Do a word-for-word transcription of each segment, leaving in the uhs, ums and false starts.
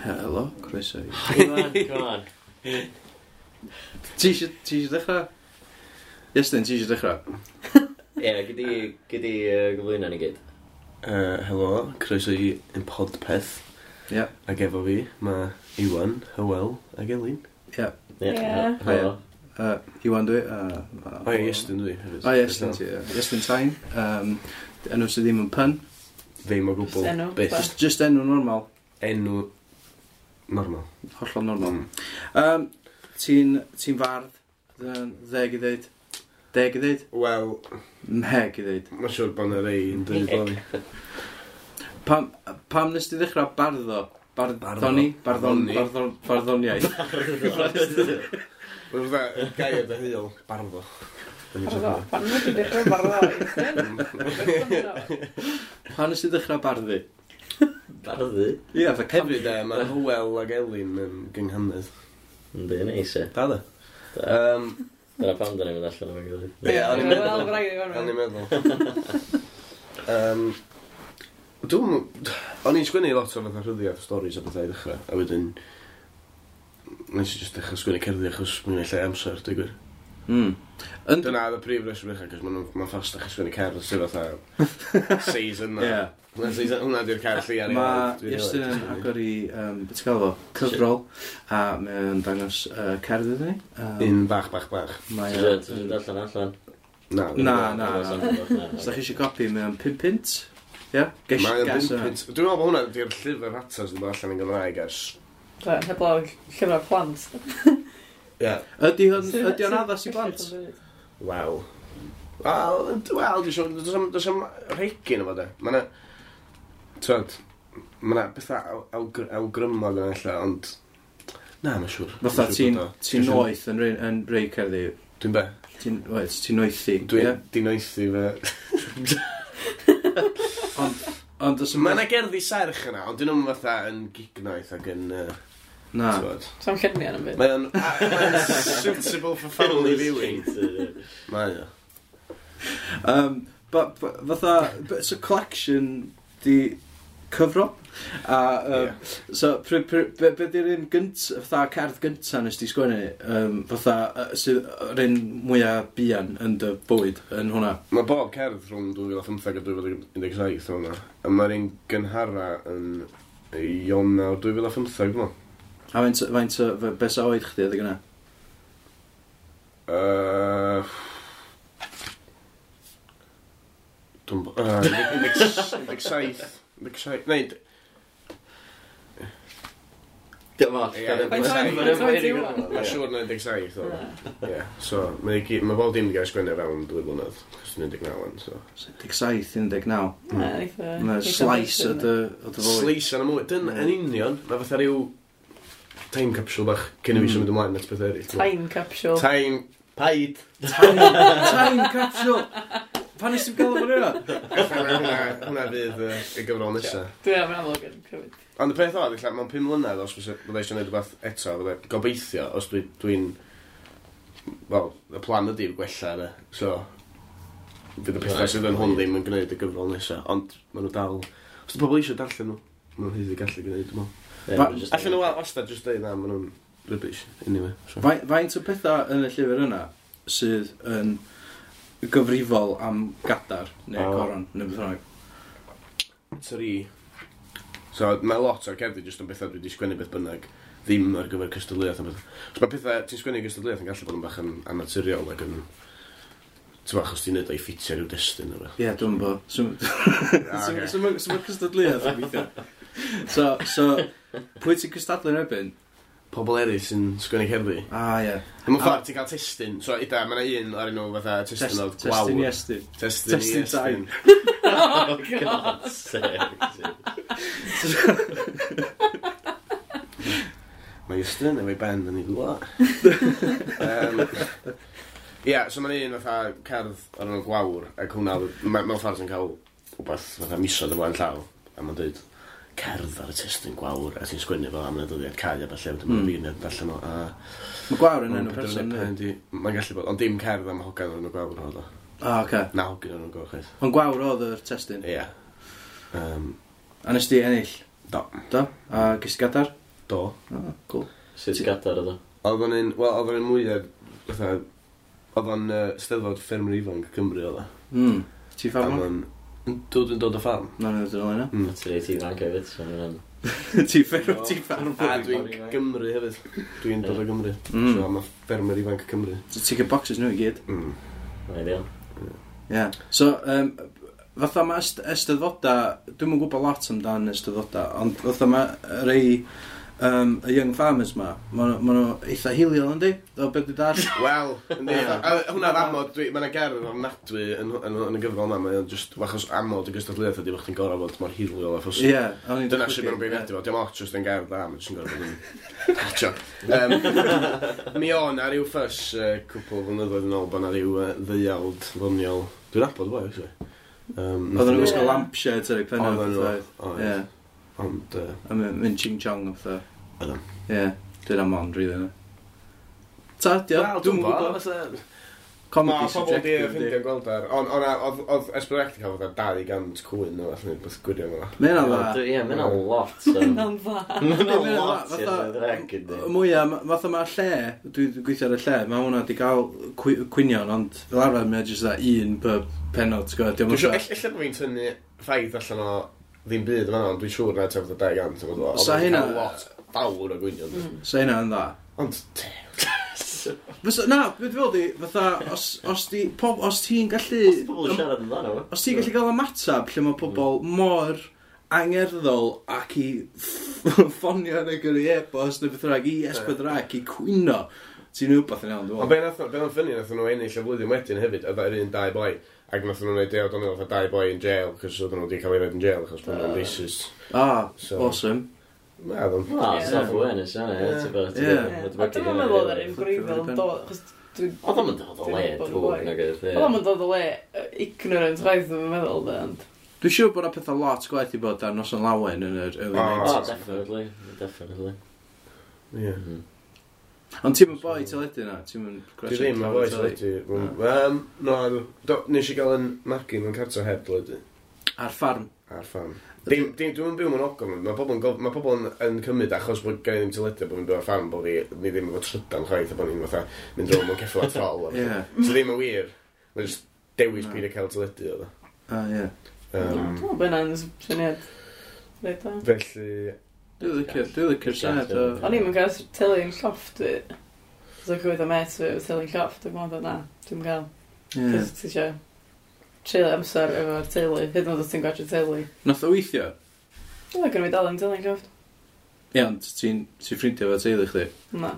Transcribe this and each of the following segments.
Helo, croeso i. Iwan, come on. Ti eisiau ti eisiau dechrau? Iestyn, ti eisiau dechrau? Ie, gyd i, gyd i uh, gyflwyno ni gyd. Uh, helo, croeso i yn podpeth. Ie. Ac efo fi, mae Iwan, Hywel ac Elin. Ie. Ie. Ie. Helo. Uh, Iwan dwi. Uh, O ie, Iestyn dwi hefyd. O, Iestyn ti, ie. Iestyn Tain. Um, enw sydd ddim yn pun. Ddim o gwbl. Just enw. Byth. Just, just enw normal. Enw normal. Hollol normal. Mm. Um, ti'n ti fardd, Dd- ddeg i ddeud. Deg i ddeud? Wel, Mheg i ddeud. mae'n siŵr bod yna rei yn dweud bo fi. Pam, pam nes ti ddechrau barddo? Barddoni? Barddon, Barddoni. barddon, barddoniaeth. Mae'n fatha gair deheuol, barddo. Barddo. Pan wyt ti'n dechrau barddo? Iestyn? Pam nes ti ddechrau barddu? Barddu. Ie, fatha cam- Hefyd, e, mae Hywel ac Elin yn gynghanedd. Yndi, neis e. Da, da. Da. Um, Dyna pam da ni'n mynd allan o'r gilydd. Ie, o'n i'n Wel, meddwl. braidd i O'n i'n gorfod. meddwl. Um, Dwi'n... O'n i'n sgwennu lot o fatha rhyddiaeth stories a bethau i ddechrau, a wedyn nes i just dechrau sgwennu cerddi achos mae'n lle amser, dwi'n gwir. Mm. Yn... Dyna oedd y prif reswm ddechrau, cos mae'n ma ffastach i sgwennu cerdd sydd fatha seis yna. Ie. Hwnna seis- Hwnna di'r cerdd lleia ni. Mae Iestyn yn agor i, um, beth ti'n gael fo, cyfrol, a mae o'n dangos uh, cerdd iddyn ni. Um, Un bach, bach, bach. Mae Ti o- isio darllen allan? Na. Na, na, Na, na. Os da chi eisiau copi, mae o'n pum punt. Ie? Gesh, Mae o'n gas bum yna. punt. Dwi'n meddwl bod hwnna di'r llyfr rhata sydd wedi dod allan yn Gymraeg ers. Do, heblaw llyfrau plant. Ie. Ydy hwn, ydy o'n addas i blant? Wel. Wel, wel, dwi'n siŵr, does 'am- does 'am rhegyn efo de. Mae 'na, twyd, mae 'na bethau aw- awgr- awgrymog yna ella, ond na, mae'n siŵr. Fatha Mae'n siŵr ti'n bod o. ti'n noeth yn rei, yn rei cerddi. Dwi'n be? Ti'n oes, ti'n noethi. Dwi'n ie? dinoethi fe. Ond, ond os Mae 'na gerddi serch yna, ond dyn nhw'n fatha yn gignoeth ac yn... Uh, Na. Twyd. Sa'n lluniau yn byd. Mae o'n mae o'n suitable for family viewing. Mae o. Um, ba, ba, fatha, b- so collection di cyfro. A, um, Ie. so, pr, pr, be, be di'r un gynt, fatha cerdd gynta nes di sgwennu, um, fatha, uh, sydd yr un mwyaf buan yn dy bywyd yn hwnna? Mae bob cerdd rhwng dwy fil a pymtheg a dwy fil un deg saith hwnna. A mae'r un gynhara yn Ionawr dwy fil a phymtheg, dwi'n meddwl. A faint, faint, o- fe- be sa oed chdi adeg yna? Uh, Dwi'n... bo- yy, un deg saith. un deg saith. Neu, Dim ots. Ie, Faint oed- faint oed ti ŵan? Mae'n siŵr na un deg saith o. Ie, so mae i gyd- mae bob dim wedi cael ei sgwennu fewn dwy blynedd, chos dwi'n un deg naw wan, so. un deg saith, un deg naw. Na, eitha- Mae eitha slice o bwysig, dy, o dy fywyd. Slice yn y mwy. Dyn, yn union, mae fatha rhyw time capsule bach cyn i fi Mm. symud ymlaen at beth eraill. Time capsule. Time... Paid. Time, time capsule! Pan nes ti'n gael o'n hwnna? Hwnna hwnna fydd yy, y gyfrol nesa. Dwi'n am amlwg yn cymryd. Ond y peth oedd, ella, mewn pum mlynedd, os fysa- fydda eisiau gwneud rhywbeth eto, fydda gobeithio, os dwi, dwi'n... Wel, y plan ydy gwella, de. So, fydd y pethau sydd yn hwn ddim yn gwneud y gyfrol nesa, ond maen nhw dal. Os di pobl eisiau darllen nhw, maen nhw'n haeddu gallu gwneud, dwi'n meddwl. Fa- Allan nhw wastad jyst dweud na, maen nhw'n rubbish, anyway. So. Faint, faint o pethau yn y llyfr yna sydd yn gyfrifol am gadar neu O. coron neu beth bynnag? Tri. So, mae lot o'r cerddi jyst yn bethau dwi wedi sgwennu beth bynnag, ddim ar gyfer cystadleuaeth a beth. So mae pethau ti'n sgwennu gystadleuaeth yn gallu bod yn bach yn anaturiol ac yn... Ti'n bach, os ti'n neud o'i ffitio rhyw destun neu beth. Ie, dwi'n bo. So, Ah, so, ocê. so, ma- so mae cystadleuaeth yn gweithio. So, so, pwy ti'n cystadlu yn erbyn? Pobl eraill sy'n sgwennu cerddi. Ah, ie. Mewn ffordd ti'n cael testun. So, ida, mae yna un ar enw fatha testun oedd Testun gwawr. Iestyn. Testun i Testun Iestyn. Oh, God. Sake. Mae Iestyn efo'i ben yn ei ddwylo. um, Ie, so mae'n un fatha cerdd ar enw gwawr, ac hwnna, ma- mewn ffordd ti'n cael rhywbeth fatha misoedd ymlaen llaw, a mae'n dweud cerdd ar y testun gwawr, a ti'n sgwennu fo am y dyddiad cau a falle, wedyn mae'n Mm. mm. beirniad allan o, a Mae gwawr yn Mae'n enw person, penderfynu yndi? pa un 'di- Mae'n gallu bod, ond dim cerdd am hogan o'r enw gwawr oedd o. Ah, oce. Na, hogyn o'r enw gwawr, chwaith. Ond gwawr oedd yr testun. Ie. Um, A nes di ennill? Do. Do? A ges ti gadar? Do. Oh, cool. Sut gadar oedd o? Oedd o'n un, wel, oedd o'n un mwyaf, fatha, oedd o'n uh, Steddfod Ffermwyr Ifanc Cymru oedd o. Mm. Ti A ffarmwr? ma'n- Dwi dwi'n dod o ffarm. Na, na, dwi'n yna. Mm. Ti'n reit ifanc hefyd, so mae'n... Ti ffermwr, ti ffarmwr. A dwi'n Gymru hefyd. Dwi'n dod o Gymru. Mm. So, mae Ffermwyr Ifanc Cymru. So ti'n cael boxes nhw i gyd. Mm. Ideal. Ie. So, um, fatha mae est eisteddfoda, dwi'm yn gwybod lot amdan eisteddfoda, ond fatha mae rei um, y Young Farmers ma, ma' nhw ma nhw eitha hiliol yndi? O beth dwi'n dall? Wel, yndi. A hwnna'r amod, dwi- ma' 'na gerdd ofnadwy yn, yn, yn y gyfrol yma, mae o'n just, achos amod y gystadleuaeth ydi bod chdi'n gorfod bod mor hiliol a phosib. Ie. o'n i'n Dyna sut maen nhw'n beirniadu fo, dim ots jyst yn gerdd dda, mae'n jyst yn gorfod bod yn... Tio. Um, mi o'n na ryw ffys uh, cwpl o flynyddoedd yn ôl bod na ryw uh, ddeuawd ddoniol. Dwi'n nabod y boi, actually. Um, Oedden nhw'n Ie. gwisgo lampshades ar eu penna. Oedden nhw, fatha. oedd. Ie. Ond, uh, A mynd mynd ching chong o fatha. Oedden. Ie. Dyna mon, rili yna. Ta, dio, Wel, dwi'm yn gwybod. fatha- Comedy Ma' pobl di subjective, ffeindio gweld ar... Ond ond oedd oedd S pedwar C di cael fatha dau gant cwyn neu fath neu beth gwirion fel 'na. Mae hynna'n dda. Ie, mae hynna'n lot. so- Hynna'n dda. Mae hynna'n Mae hynna'n lot dda, i'r fatha- dreg, yndi. Mwyaf, ma- fatha mae'r lle, dwi'n gweithio ar y lle, mae hwnna di gael cwi- cwynion, ond fel arfer mae jyst dda un per penod, ti'n gwybod, Dwi'n dio'm siŵr, fatha- ell- ella bod fi'n tynnu ffaith allan o ddim byd yma, ond dwi'n siŵr na tua fatha dau gant. Sa hynna- Lot fawr o gwynion. Mm. Sa hynna yn dda. Ond, Fysa, na, beth fel di, fatha, os, os, di, pob, os ti'n gallu... Os pobl yn siarad amdano fo. Os ti'n gallu gael ymateb lle mae pobl mor angerddol ac i ffonio neu gyrru e-bost neu beth bynnag i S pedwar C i cwyno, ti'n wbeth yn iawn, dwi'n Ond meddwl. be nath be nath funny, nath nhw ennill y flwyddyn wedyn hefyd, oedd yr un dau boi, ac nath nhw'n neud deud o'n fatha dau boi in jail, cos oedden nhw wedi cael ei roid in jail, achos bod nhw'n racist. Ah, So- awesome. Na, oedd o'n... Ah, Ie. self-awareness, yna, ie, ti'n bod. Ie. Ie. A dwi'm yn meddwl oedd yr un gwreiddiol yn dod, achos dwi... Oedd o'm yn dod o le Dwi'n drwg, boi. nag oedd, ie. Oedd o'm yn dod o le yy, ignorant chwaith dwi'n meddwl, de, ond... Dwi'n siŵr bod 'na pethau lot gwaeth i bod ar Noson Lawen yn yr early Oh. Oh, nineties. definitely, definitely. Ie. Mhm. Ond ti'n mynd boi teledu na? Ti'n mynd Dwi ddim yn boi teledu. Um, no, do, nes i gael yn magu mewn cartre heb teledu. Ar ffarm. Ar ffarm. Dim, dim, dwi'n byw mewn ogof. Mae pobl yn, gof- ma pobl yn, yn cymryd achos bod gen i ddim teledu bod fi'n byw ar ffarm bod fi ni ddim efo trydan chwaith a bod ni'n fatha mynd rownd mewn ceffyl a trol. a Ie. petha. So ddim yn wir. Mae'n just dewis Na. pryd i cael teledu oedd o. Ah, ie. Um, Dwi'n meddwl bod hynna'n syniad reit da. felly, Dwi'n licio'r dwi'n licio'r syniad o... O'n i'm yn cael teli yn llofft fi. So gweud am met fi efo teli'n llofft, dwi'n meddwl na, dwi'n gael. Ie. Cos ti eisiau treulio amser efo'r teulu, hyd yn oed os ti'n gwatsio teli. Nath o weithio? Dwi'n meddwl fi dal yn teli'n llofft. Ie, ond ti'n ti'n ffrindiau efo teulu chdi? Na.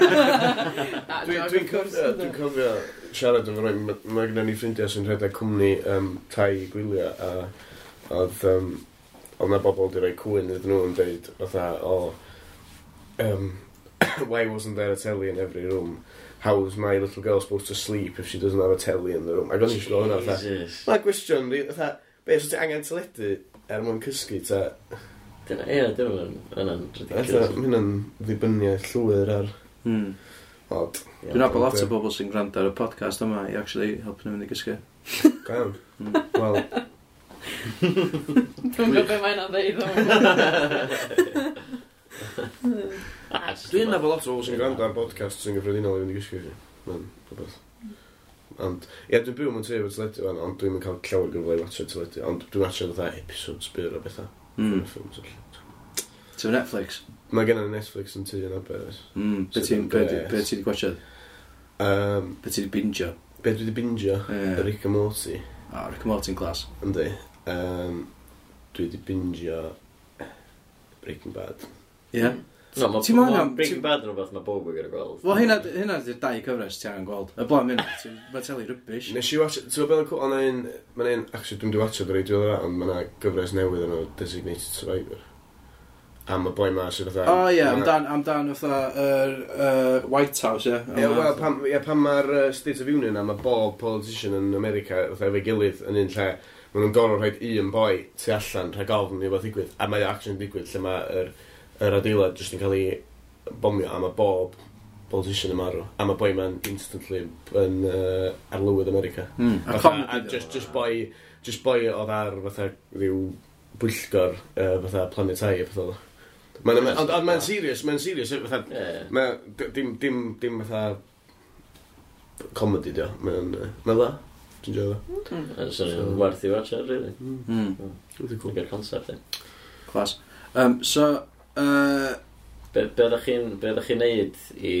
Na, Dwi'n joke, dwi of course, cofio, yndw. dwi'n cofio siarad efo rhai, ma- mae gennym ni ffrindiau sy'n rhedeg cwmni um, tai gwyliau a oedd, um, oedd na bobl wedi rhoi cwyn iddyn nhw yn dweud fatha, o, um, why wasn't there a telly in every room? How is my little girl supposed to sleep if she doesn't have a telly in the room? Ac o'n i eisiau hwnna fatha, Jesus. Mae'n gwestiwn, ri- fatha, be, so ti angen teledu er mwyn cysgu, ta? Dyna, ie, dyna hwnna'n Fatha, ridiculous. mae hynna'n ddibyniaeth llwyr ar Hmm. od. Ie. Dwi'n nabod lot o bobl sy'n gwrando ar y podcast yma i actually helpu nhw mynd i gysgu. Go iawn. Mm. Wel, Dwi'n gwybod beth mae'n ddeud. Ah, just Dwi'n nabod lot o bobl sy'n gwrando ar podcast sy'n gyffredinol i fynd i gysgu fi. Mae'n rhywbeth. Ond, ie, dwi'n byw mewn tŷ efo teledu fan, ond dwi'n cael llawer gyfle i watcha teledu. Ond dwi'n watcha fatha episodes byr o bethau. Mm. Ffilms a ll- Ti'n Netflix? Mae gen i Netflix yn tŷ yn Aber. oes. Mm. Be Sydd ti'n yn be grêt. be ti 'di gwatsiad? Um, Be ti 'di bingio? be dwi wedi bingio? Ie. Rick and Morty. Ah, Rick and Morty'n class. Yndi. Um, dwi wedi bingio Breaking Bad. Ie. No, ma' Ti'n ma' angen- Breaking ti'n- Bad yn rhywbeth mae bob yn gyda gweld. Wel, hynna, hynna ydy'r dau cyfres ti angen gweld. Y blaen mynd, mae teli rubbish. Nes i watch, ti'n gwybod beth yn cool, ond un, mae'n un, actually dwi'n di watch o reit diweddara, ond mae yna gyfres newydd yn o Designated Survivor. Am y boi ma sydd fatha... O ie, ma' 'na- amdan, amdan fatha yr uh, White House, ie. Ie, wel, pam, ie, pan mae'r uh, State of Union a mae bob politician yn America fatha efo'i gilydd yn un lle, maen nhw'n gorfod rhoi un boi tu allan rhag ofn i rhywbeth ddigwydd, a mae o actually'n digwydd lle mae'r yr adeilad jyst yn cael ei bomio a mae bob politician yn marw. A mae boi ma'n instantly yn uh, arlywydd America. Mm. A Fatha, comedy. a just, just boi, just boi oedd ar fatha rhyw bwyllgor uh, fatha Planet I a pethau. Mae'n Ond ond mae'n serious, mae'n serious, fatha, Ie. Mae, dim, dim, dim fatha comedy dio. Mae'n, yy, mae'n dda. Dwi'n joio fo. Mm. Swnio'n werth i watch really. Mm. Dwi'n cool. Dwi'n concept, e. Class. Um, so, uh, Be, be oeddech chi'n be oeddech chi'n neud i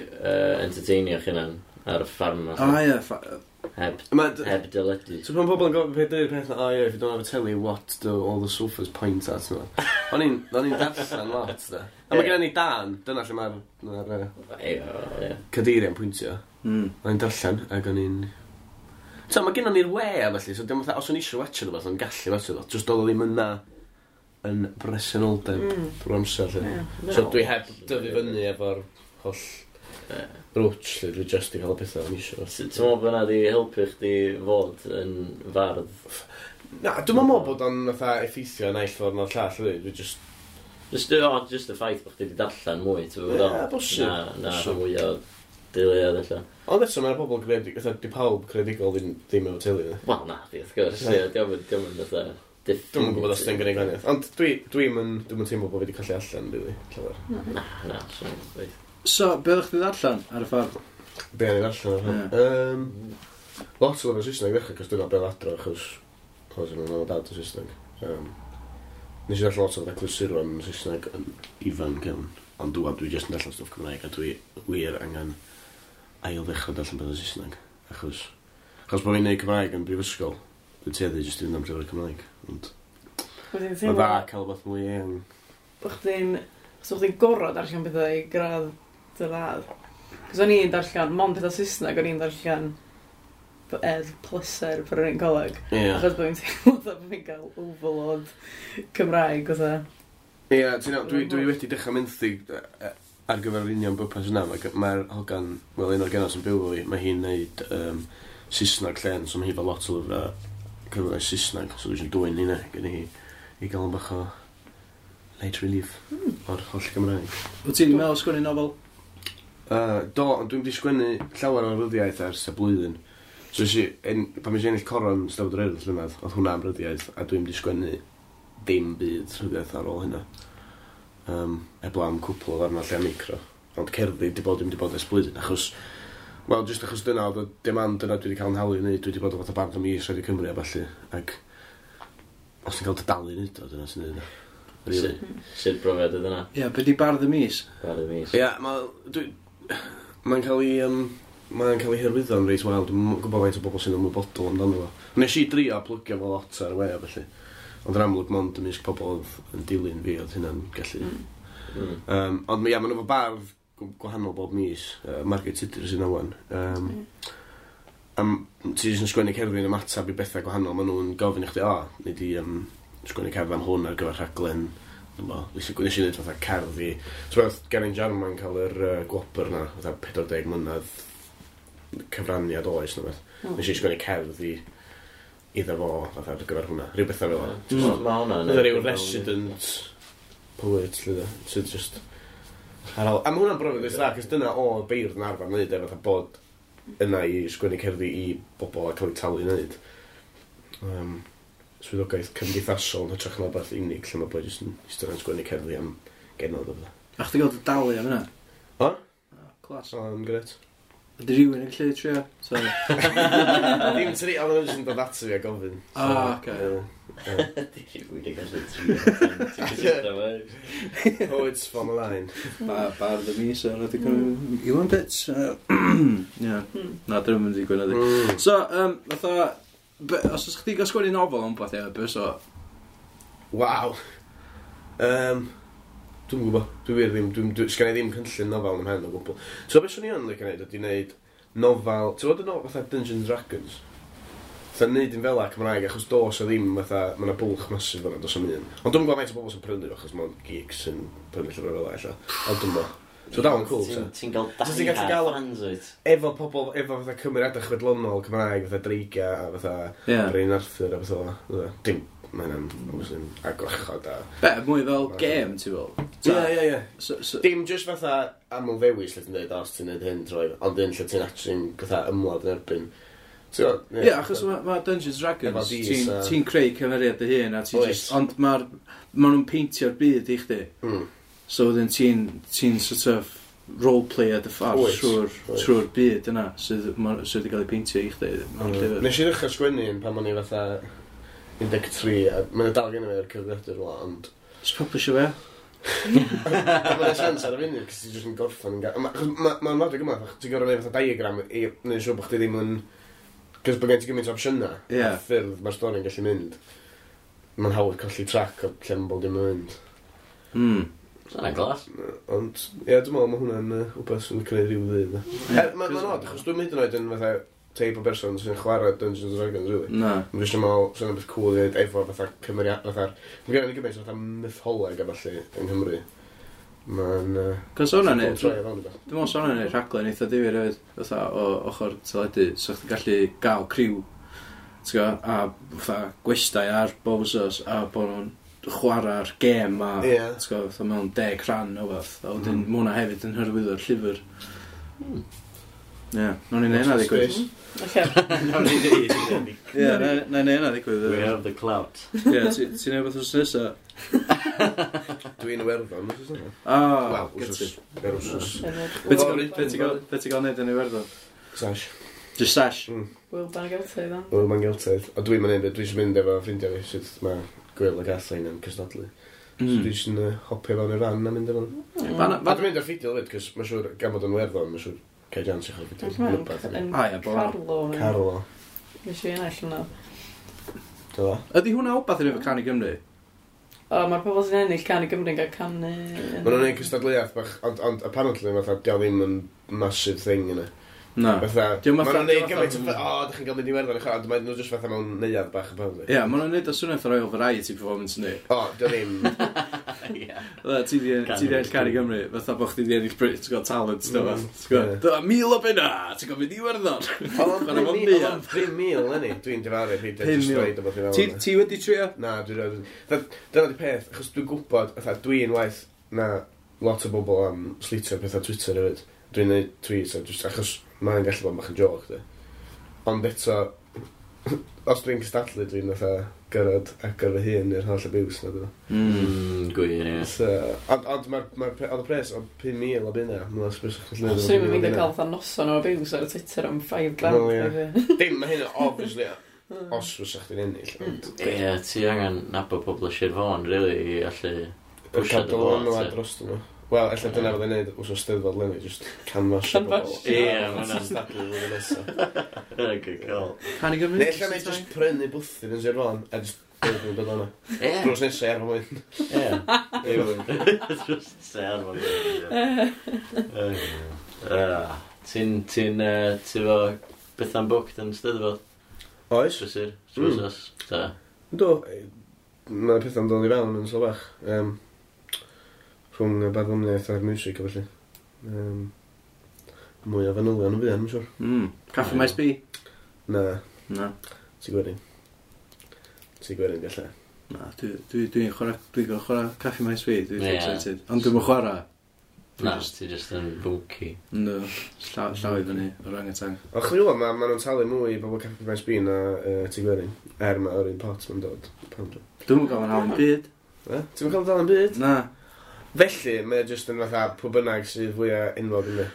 uh, entertainio chi'na'n ar y ffarm o ma? ie, ffa- Heb, Ma- heb deledu. So pan pobl yn gofyn peth dweud peth na, oh yeah, if you don't have a telly, what do all the sofas point at? No. O'n i'n o'n i'n darllen lot, da. A mae gen ni dan, dyna lle mae'r mae'r uh, Ie, ie. cadeiriau'n pwyntio. Mm. O'n i'n darllen, ac o'n i'n... So, mae gennon ni'r we a felly, so dim fatha, os o'n i eisiau watch rhywbeth, o'n gallu watch rhywbeth, just doedd o ddim yna yn bresenoldeb Mm. drwy'r amser, lle. Ie. So dwi heb dyfu fyny efo'r holl Ie. rwtsh, lle, dwi just i cael y pethau o'n eisiau. Ti'n meddwl bod hwnna di helpu chdi fod yn fardd? Na, dwi'n meddwl bod o'n fatha effeithio naill ffordd na'r llall, ydy. Dwi just... Just, o, just y ffaith bod chdi wedi darllen mwy, ti'n gwybod? Ie, bosib. Na, na, Bosib. mwy o deuluoedd ella. Ond eto, mae'r bobl creadig, fatha, di pawb creadigol ddim, ddim efo teulu, ne? Wel, na, di, wrth gwrs. Ie, diolch yn diolch yn fatha... Dwi'm yn gwybod os ti'n gwneud gwahaniaeth. Ond dwi, dwi'n yn, dwi'm yn teimlo bod fi wedi colli allan, really, llawer. Na, na, swn i'n dweud. So, be oeddech chdi ddarllen ar y ffordd? Be o'n i'n darllen ar hwn? Um, lot o lyfrau Saesneg ddechrau, cos dyna be oedd adro, achos achos o'n nhw'n dad o Saesneg. Um, nes i ddarllen lot o fatha clasuron yn Saesneg yn ifanc iawn. Ond dwi, dwi jyst yn darllen stwff Cymraeg, a dwi wir angen ail ddechrau darllen pethau Saesneg. Achos, achos bod fi'n neud Cymraeg yn brifysgol, dwi'n tueddu jyst i fynd am llyfrau Cymraeg. Ond Wyt ti'n mae'n teimlo dda cael rhywbeth mwy eang. bod chdi'n... Os o'ch chdi'n gorfod darllen pethau i gradd dy radd. Cos o'n i'n darllen, mond pethau Saesneg, o'n i'n darllen er pleser pan o'n i'n coleg. Ie. Achos bod fi'n teimlo fatha bod fi'n cael overload Cymraeg, fatha. Ie, ti'n iawn, dwi, dwi wedi dechrau menthyg yy, ar gyfer yr union bwrpas yna. Mae'r mae hogan, wel, un o'r genod sy'n byw efo fi, mae hi'n neud um, Saesneg llen, so mae hi efo lot o lyfrau cyfrau Saesneg, so dwi eisiau dwyn hynna gyda hi i gael yn bach o light relief Mm. o'r holl Gymraeg. Wyt ti'n meddwl sgwennu nofel? Uh, do, ond dwi'n wedi sgwennu llawer o ryddiaeth ers y blwyddyn. So nes i, en, pan nes i ennill coron Steddfod yr Urdd llynedd, oedd hwnna am ryddiaeth, a dwi'n wedi sgwennu dim byd ryddiaeth ar ôl hynna. Um, eblaw am cwpl o ddarnau lle micro. Ond cerddi di bod, dwi'n wedi bod ers blwyddyn, achos... Wel, jyst achos dyna, oedd y demand dyna dwi wedi cael yn halu i wneud, dwi wedi bod o fatha bardd y mis Radio Cymru a ballu, ac os ti'n cael dy dalu i wneud o, dyna sy'n neud o. Really. Sut brofiad oedd yna? Ie, be di bardd y mis? Bardd y mis. Ie, yeah, mae... Dwi, mae'n cael ei... Um, mae'n cael ei hyrwyddo'n reit wel. Dwi'n gwybod faint o bobl sy'n ymwybodol amdano fo. Nes i drio plygio fo lot ar y we a felly. Ond yn amlwg mond ymysg pobl oedd yn dilyn fi oedd hynna'n gallu... Mm. Mm. Um, ond ia, maen nhw efo bardd gw- gwahanol bob mis. Uh, Margaret Tudur sy'n awan. Um, am, ti jyst yn sgwennu cerddi yn ymateb i bethau gwahanol. Maen nhw'n gofyn i chdi, o, nei di um, sgwennu cerdd am hwn ar gyfer rhaglen. Dwi'm bo, Nes i nes i wneud fatha cerdd i... So oedd Geraint Jarman cael yr uh, gwobr na, fatha pedwar deg mlynedd cyfraniad oes na beth. Mm. Nes i sgwennu cerdd i iddo fo, fatha ar gyfer hwnna. Rhyw bethau fel yna. Mm. Ma' hwnna'n... Oedd rhyw resident poet, lle da, sydd just... Ar ôl... A mae hwnna'n brofiad eitha dda, cos dyna o beirdd yn arfer wneud, e, fatha bod yna i sgwennu cerddi i bobl a cael eu talu i wneud. Um, swyddogaeth cymdeithasol yn hytrach na beth unig, lle mae boi jyst yn eistedd yn sgwennu cerddi am genod o bethau. A chdi gael dy dalu am hynna? O? Oh, class. So, yn gret. Ydy rhywun yn gallu trio? So, Ddim tri, ond nhw'n jyst yn dod ato fi a gofyn. So, Ah, ocê. ie, ie. Di rhywun yn gallu trio. Ti'n cysylltu fo? Poets form a line. ba, bardd y mis ar Radio Cymru. Iwan Pitts. Ie. Mm. Na, dyn nhw'n mynd i gwneud. Mm. So, um, fatha, be, os oes chdi gael sgwennu nofel am beth, ie, be so? Waw. Um, dwi'n gwybod. Dwi wir ddim, dwi'n, dwi, sgan i ddim cynllun nofel yn 'mhen o gwbl. So beth swn i yn licio neud ydy neud nofel, ti'n gwybod y nofel fatha Dungeons and Dragons? Fatha neud un fel Cymraeg, achos dos o ddim fatha, mae yna bwlch massive fan'na, dos am un. Ond dwi'n gwybod faint o bobl sy'n prynu fo, achos mae'n geeks sy'n prynu llyfrau fel ella. Ond dwi'n gwybod. So dal yn cool, Ti'n so. ti'n gael So ti'n gallu die-hard gael- fans, wyt? Efo pobl, efo fatha cymeriadau chwedlonol Cymraeg, fatha dreigia a fatha Ie. Brenin Arthur a fatha fel. Dim, mae hynna'n, obviously, a gwrachod a... Be, mwy fel game, ti fel? Ie, ie, ie. So, so, Dim just fatha aml ddewis lle ti'n dweud, os ti'n neud hyn troi, ond un lle ti'n actually'n fatha ymladd yn erbyn. Ti'n gwbod? Ie, achos mae ma Dungeons Efo Dragons, dis ti'n a- ti creu cymeriad dy hun, a ti Oes. just, ond mae'r, ma nhw'n peintio'r byd i chdi. Mm. So wedyn ti'n ti'n sort of roleplay dy ffordd Wyt, trwy'r wyt. trwy'r byd yna sydd, ma- sydd wedi cael ei peintio i chdi mewn Mm. llyfr. Nes i ddechrau sgwennu un pan o'n i fatha un deg tri, a mae'n dal gen i fi ar cyfrifiadur rwla, ond Just publisho fe. Mae'n sens ar y funud, cos ti jyst yn gorffen yn ga- ma- achos ma- Mae'n lot o gymaint, achos ti'n gorfod neud fatha diagram i neud siŵr bod chdi ddim yn... Cos bod gen ti gymaint o opsiynau, Ie. a ffyrdd mae'r stori'n gallu mynd. Mae'n hawdd colli track o lle mae bob dim yn mynd. Mm. Dyna glas. Ond, ie, dwi'n meddwl mae hwnna'n uh, wbeth sy'n creu rhyw ddydd. Ie. Er, Mae'n ma odd, achos dwi'n mynd yn oed yn fatha teip o berson sy'n chwarae Dungeons and Dragons, really. Na. Mae'n jyst yn meddwl, sy'n beth cool i wneud efo fatha cymeriad, fatha... Mae gen i gymaint o fatha mytholeg a ballu yng Nghymru. Mae'n... Uh, Cos hwnna'n neud, troi fewn i beth. dwi'n meddwl sa hwnna'n neud rhaglen eitha difyr hefyd, fatha o ochr teledu, so chdi'n gallu gael criw, ti'n gwbod, a fatha gwestai ar bob wsos, a bod nhw'n chwarae'r gêm a, Ie. ti'n gwbod, fatha mewn deg rhan o fath, a wedyn Mm. mm. ma' hwnna hefyd yn hyrwyddo'r llyfr. Ie, nawn ni neud hynna ddigwydd. Space. Oce. Nawn ni ddeud. Ie, na na i neud hynna ddigwydd. We have the clout. Ie, ti- ti'n neud beth wsos nesa? Dwi'n Iwerddon, wsos yna. Ah, Wel, get wsos. it. Yr wsos. Be ti'n gael- be ti'n gael- be ti'n gael neud yn Iwerddon? Sash. Just sash. Mm. Wyl Ban Geltaidd, o. Wel, mae'n Geltaidd. A dwi'n mynd, dwi'n jyst mynd efo ffrindiau fi, sut mae Gwyl a Kathleen yn cystadlu. So Mm. dwi'n jyst yn uh, hopio fewn i'r fan a mynd efo nhw. Mm. Fan- A dwi'n mynd ar ffidil hefyd, cos mae'n siŵr, gan bod yn Werddon, mae'n siŵr cael jans i chwarae ffidil. Rwbeth, Yn Ah, ie, bo. Carlo. Carlo. Nes i ennill hwnna. Dyla. Ydy hwnna wbath i wneud efo Cân i Gymru? O, mae'r pobl sy'n ennill Cân i Gymru'n cael canu... yn- Maen nhw'n neud cystadleuaeth bach, ond, ond apparently fatha, dio ddim yn massive thing yna. Na. Fatha, Dio'm maen fatha- nhw'n neud dio'm gymaint o, fatha- o, dych chi'n cael mynd i Werddon i chwarae, ond maen nhw jyst fatha mewn neuadd bach apparently. Ie, maen nhw'n neud o swnio fatha Royal Variety Performance yndi. O, dio ddim. Ie. Fatha, ti di ti di ennill Cân i Gymru, fatha bod chdi di ennill Britain's Got Talent, ti'n Mm, gwbod? Ti'n gwbod? ie. Dyma mil o bunna, ti'n gwbod mynd i Iwerddon. Oedd Chwarae mewn o'n neuadd. pum mil, enni. Dwi'n difaru, peidio Pum jyst mil. dweud o beth i Ti fewn. ti wedi trio? Na, dwi'n rhaid. Dyna di peth, achos dwi'n gwybod, fatha, dwi'n waith na lot o bobl am slitio pethau Twitter hefyd. Dwi'n neud tweets, a just, achos mae'n gallu bod yn bach yn joke, di. Ond eto, os dwi'n cystadlu, dwi'n fatha gyrraedd agor fy hun i'r holl abuse na, dwi'n. Mm. Mm, Gwir, ie. So, ond, ond mae'r, ma oedd y pres, oedd pum mil o bunna, mae'n ysbryd o'ch Swn i'n mynd i cael fatha noson o abuse ar y Twitter am five grand. Wel, ie. Ie. Dim, mae hyn obviously, os fysa chdi'n ennill, ond Ie, ti angen nabod pobl o Sir Fôn, really, i allu pwsio cael dy fod, dylanwad ie. dros nhw. Wel, ella dyna fydd e'n neud wsos Steddfod leni, just canvasio bobl. Canvasio. Ie, ma' hwnna'n- Cystadlu flwyddyn nesa. Good call. Cân i Gymru? Neu ella neud just prynu bwthyn yn Sir Fôn, a just dweud nhw'n dod o'na. Ie. Drws nesa i Arfon Wyn. Ie. Drws nesa i Arfon Wyn, ie. Ah, Ti'n, ti'n, yy, ti fo Bethan booked yn Steddfod? Oes? Prysur? Mm. Trwsos? Ta. Do, mae pethau'n dod i fewn yn so bach. Um, rhwng y barddoniaeth a'r music a felly. Um, mwy o fanylion yn fuan, mae'n siŵr. Mm. Caffi Maes B? Na, Na. ti gwerin. Ti gwerin, gallai. Na, dwi'n dwi, dwi'n chwarae, dwi'n gorfod chwarae Caffi Maes B, dwi'n Ie. excited. Ond dwi'n chwarae. Dwi Na, just- ti just yn fwnci. No, llaw, llaw i fyny, orangutan. Ond chdi wybod, ma, ma nhw'n talu mwy i bobl Caffi Maes B na uh, Tŷ Gwerin. Er mae o'r un pot ma'n dod. Pam dwi? Dwi'n gael yn hawl yn byd. Eh? Ti'n cael dal yn byd? Na. Felly, mae o jyst yn fatha pwy bynnag sydd fwyaf enwog yn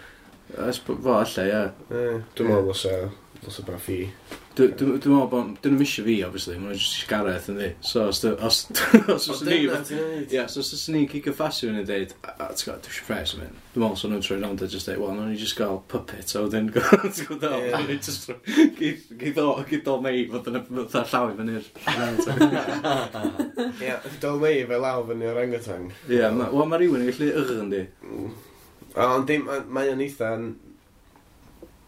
Ys, fo, alla, ie. Eh, dwi'n meddwl ddylsa, ddylsa bod ffi. Dwi- Dwi'n dwi'n meddwl bod... Dyn nhw'n isio fi, obviously. Maen nhw'n jyst isio Gareth, yndi. So, os... dy- Os os os ni... Ie, so os oes ni'n cicio ffasi fyny a deud, "A- a, ti'n gwbod, dwi eisiau pres am hyn." Dwi'n meddwl, so nhw'n troi rownd a just deud, "Wel, nawn ni just gael puppet," a wedyn, ti'n gwbod, Ie. nawn ni just geith geith o, geith o mei fod yn y fatha llaw i fyny'r orangutan. Ie, Dol Mei fe law fyny orangutan. Ie, ma- wel, mae rhywun yn gallu ych yndi. Mm. Ond dim, mae o'n eitha yn...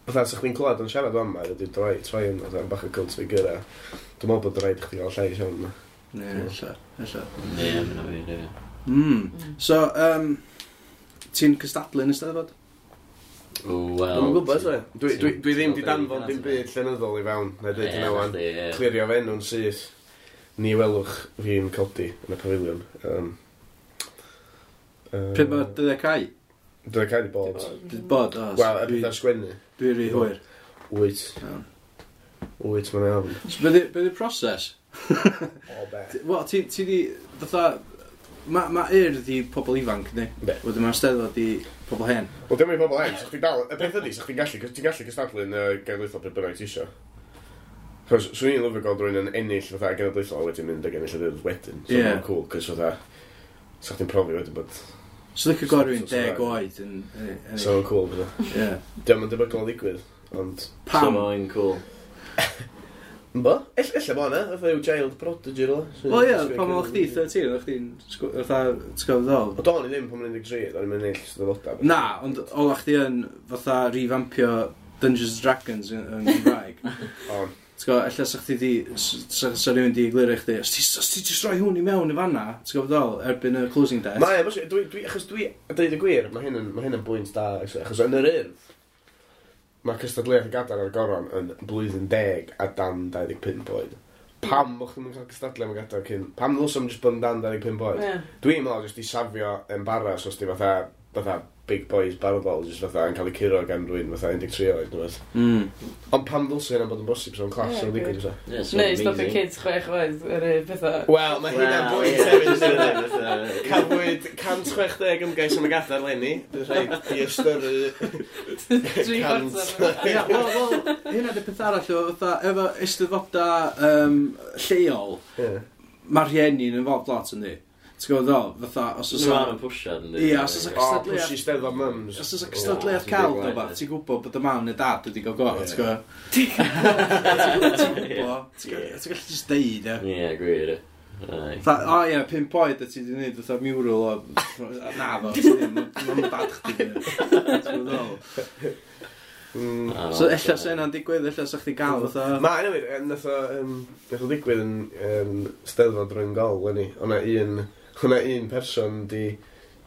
Fatha, sa chdi'n clywed o'n siarad o'n ma, wedi droi, troi yn fatha bach o cult figure a dwi'n meddwl bod rhaid i chdi gael llais iawn yma. Ie, ella, ella. Ie, mae'n wir, ie. Mm. So, um, ti'n cystadlu yn y Steddfod? Wel... Dwi'n gwybod, sorry. Dwi, dwi, dwi ddim Ti'n di danfon gwbod dim byd llenyddol i fewn, na dweud Ie, hynna wan. chdi, ie. Clirio fe enw'n syth. Ni welwch fi'n codi yn y pafiliwn. Um, uh, Pryd mae dyddiau cau? Dyddiau cau di bod. Dwi bod, o. Wel, y dwi, pethau sgwennu. dwi rhy hwyr. Wyt. Iawn. Wyt, mae'n iawn. So, be' 'di- be' 'di'r proses? O, be. Wel, ti, ti di, fatha, Mae ma Urdd i pobl ifanc, yndi? Yndi. Wedyn mae'r Steddfod i pobl hen. Wel, dim i pobl hen, so chdi dal... Y peth ydi, so chdi'n gallu, ti'n gallu cystadlu yn y genedlaethol pryd bynnag ti isio. Chos, swn i'n lyfio gweld rhywun yn ennill fatha genedlaethol a wedyn mynd ag ennill yr Urdd wedyn. So Ie. yeah. Cool, cos fatha... So chdi'n profi wedyn bod... So licio gweld rhywun So- so- deg oed yn yn ennill. So cool, fatha. Ie. Diolch yn debygol o ddigwydd, ond... Pam? So mae'n cool. Bo? Ell, ella bo yna, fatha yw child prodigy rhywle. Wel ie, pan oedd chdi thirteen, oedd chdi'n sgw- fatha, ti'n gwybod ddol? O, do'n i ddim pan o'n un deg tri, do'n i'n ennill Steddfodau. Na, ond ola chdi yn fatha revampio Dungeons and Dragons yn, yn Gymraeg. On. Ti'n gwybod, ella sa chdi di, sa, sa rhywun di egluro i chdi, os ti, os ti jyst rhoi hwn i mewn i fanna, ti'n gwybod ddol, erbyn y closing date. Mae, bos- dwi, dwi, achos dwi, a dweud y gwir, mae hyn yn, mae hyn yn bwynt da, actually, achos yn yr Urdd, mae cystadleuaeth y gadair a'r goron yn blwyddyn deg a dan dau ddeg pump oed. Pam bod chdi'n cael cystadlu am y gadair cyn? Pam ddylswn jyst bod yn dan dau ddeg pump oed? Ie. Dwi'n meddwl jyst i safio embarrass os di fatha, fatha big boys barddol, jyst fatha yn cael eu curo gan rhywun fatha un deg tri oed, neu beth. Mm. Ond pam ddylse hynna bod yn bosib, so'n class Ie, o'n ddigwydd, gwir. fysa? Yeah, so Neu stopio amazing. kids chwech oed yr un pethau. Wel, mae hynna'n Wel, bwynt ie. hefyd, yndi? Cafwyd cant chwech deg ymgais am y gadair leni. Dwi'n rhaid i ystyru Tri cant. chwarter. Ia, wel, wel, hynna di peth arall, efo fatha, efo eisteddfoda um, lleol, Ie. mae rhieni'n involved lot yndi. Ti'n gwybod ddol, fatha, os oes Maen nhw'n pwsiad, yndi? Ie, os oes O, cystadleuaeth- pwsi steddfod mums. Os oes cystadleuaeth cael O, o beth, ti'n gwybod bod y mam neu dad wedi cael go, Ie. ti'n gwybod? Ti'n gwybod, ti'n gwybod, ti'n gallu just deud, ie. Ie, gwir. ie. Aye. Fatha, o ie, pump oed a ti wedi gwneud fatha mural o... Na fo, ti ddim, mam a dad chdi. 'di neud. Ti'n gwybod ddol? Mm. Ah, So ella sa hynna'n digwydd, ella sa chdi gael fatha... Ma, anyway, eh, nath o, um, nath o ddigwydd yn um, Steddfod Rhyngol, leni. O'na un, o'na un person di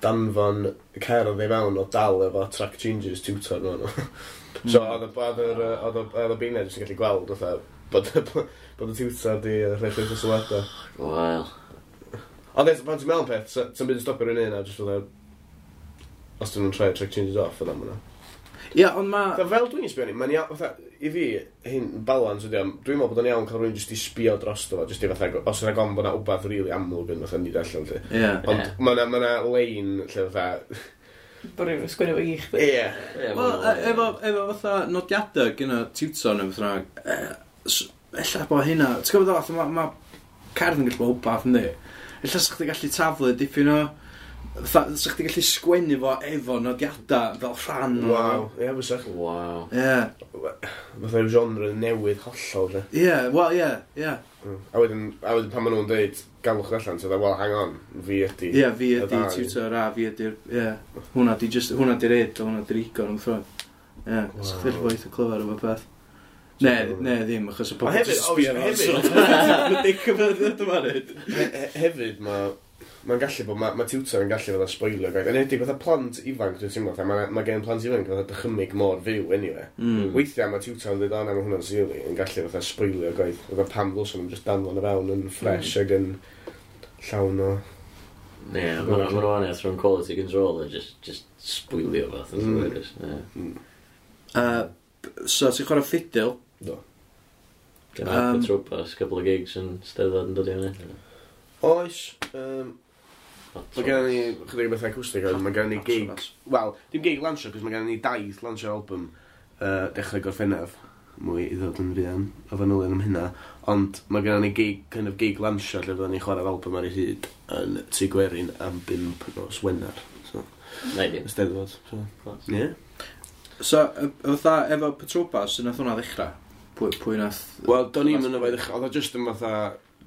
danfon cerdd i fewn o dal efo track changes tutor nhw. nhw. So oedd y- oedd yr, yy, oedd y- oedd y beirniaid jyst yn gallu gweld fatha bod, bod y tutor di yy, rhoi llwyth o sylwadau. Wel. Ond eto, pan ti'n meddwl peth, so- ti'n byd yn stopio rhywun un a jyst fatha, os dyn nhw'n troi track changes off, yna ma' nhw. Ie, ond ma... Fatha, fel dwi'n sbio ni, mae'n iawn, fatha, i fi, hyn, balans ydi o, dwi'n meddwl bod o'n iawn cael rhywun jyst i sbio drosto fo, jyst i fatha, os yna gom bod 'na wbath rili amlwg yn fatha nid allan, lle. Ie. Ond Ie. ma' 'na, ma' 'na lein lle fatha, Bod rhywun yn sgwennu fo i chdi. ie. Ie, Wel, ma' e- efo, efo fatha nodiadau gyda tutor neu beth bynnag, e, s- ella bod hynna, ti'n gwybod fatha, mae ma cerdd yn gallu bod wbath, yndi? Ella sa chdi gallu taflu dipyn o, fatha, sa chdi gallu sgwennu fo efo nodiadau fel rhan o... Waw, ie, fysa. Waw. Ie, Fatha yw genre newydd hollol, lle. ie, wel, ie, ie. Mm. A wedyn, a wedyn pan maen nhw'n dweud, galwch allan, ti'n dweud, well, hang on, fi ydi. Ie, fi y ydi ddau. tutor a fi ydi'r, ie. Hwnna di just, hwnna di'r id, a hwnna di'r ego yn ffrwm. Ie, sa chdi gallu bod eitha clyfar efo peth. Ne, ne, ddim, achos y pobl hefyd, jyst sbio obviously, ar hefyd- Mae dic yn meddwl dyma neud. He- he- Hefyd, mae mae'n gallu bod, mae ma tutor yn gallu fatha spoilio gwaith. Yn enwedig fatha plant ifanc, dwi'n teimlo, fatha, mae ma gen plant ifanc fatha dychymyg mor fyw, anyway. Mm. Weithiau mae tutor yn dweud, o na, mae hwnna'n silly, yn gallu fatha spoilio gwaith. Fatha pam ddylswn nhw'n just danfon o fewn yn fresh mm. ac yn llawn o... Ie, ma' nhw'n wahaniaeth rhwng quality control a just, just spoilio fath. Mm. Mm. Ie. Uh, so, ti'n chwarae ffidil? Do. Gan Um, um, Patrobas, couple of gigs yn Steddfod yn dod i fyny. Oes, um, mae gen ni chydig o bethau acoustic, ond mae gen ni gig... Wel, dim gig lansio, cos mae gen ni daith lansio'r album uh, dechrau Gorffennaf. Mwy i ddod yn fuan o fanylion am hynna. Ond mae gen ni gig, kind of gig lansio lle fyddwn ni'n chwarae'r album ar ei hyd yn Tŷ Gwerin am bump nos Wener. So, Nei di. y Steddfod. So, Class. ie. Yeah. So, y- fatha, efo Patrobas, nath hwnna ddechrau? Pwy, pwy nath... Wel, do'n i'm yn efo i ddechrau. Oedd o just yn fatha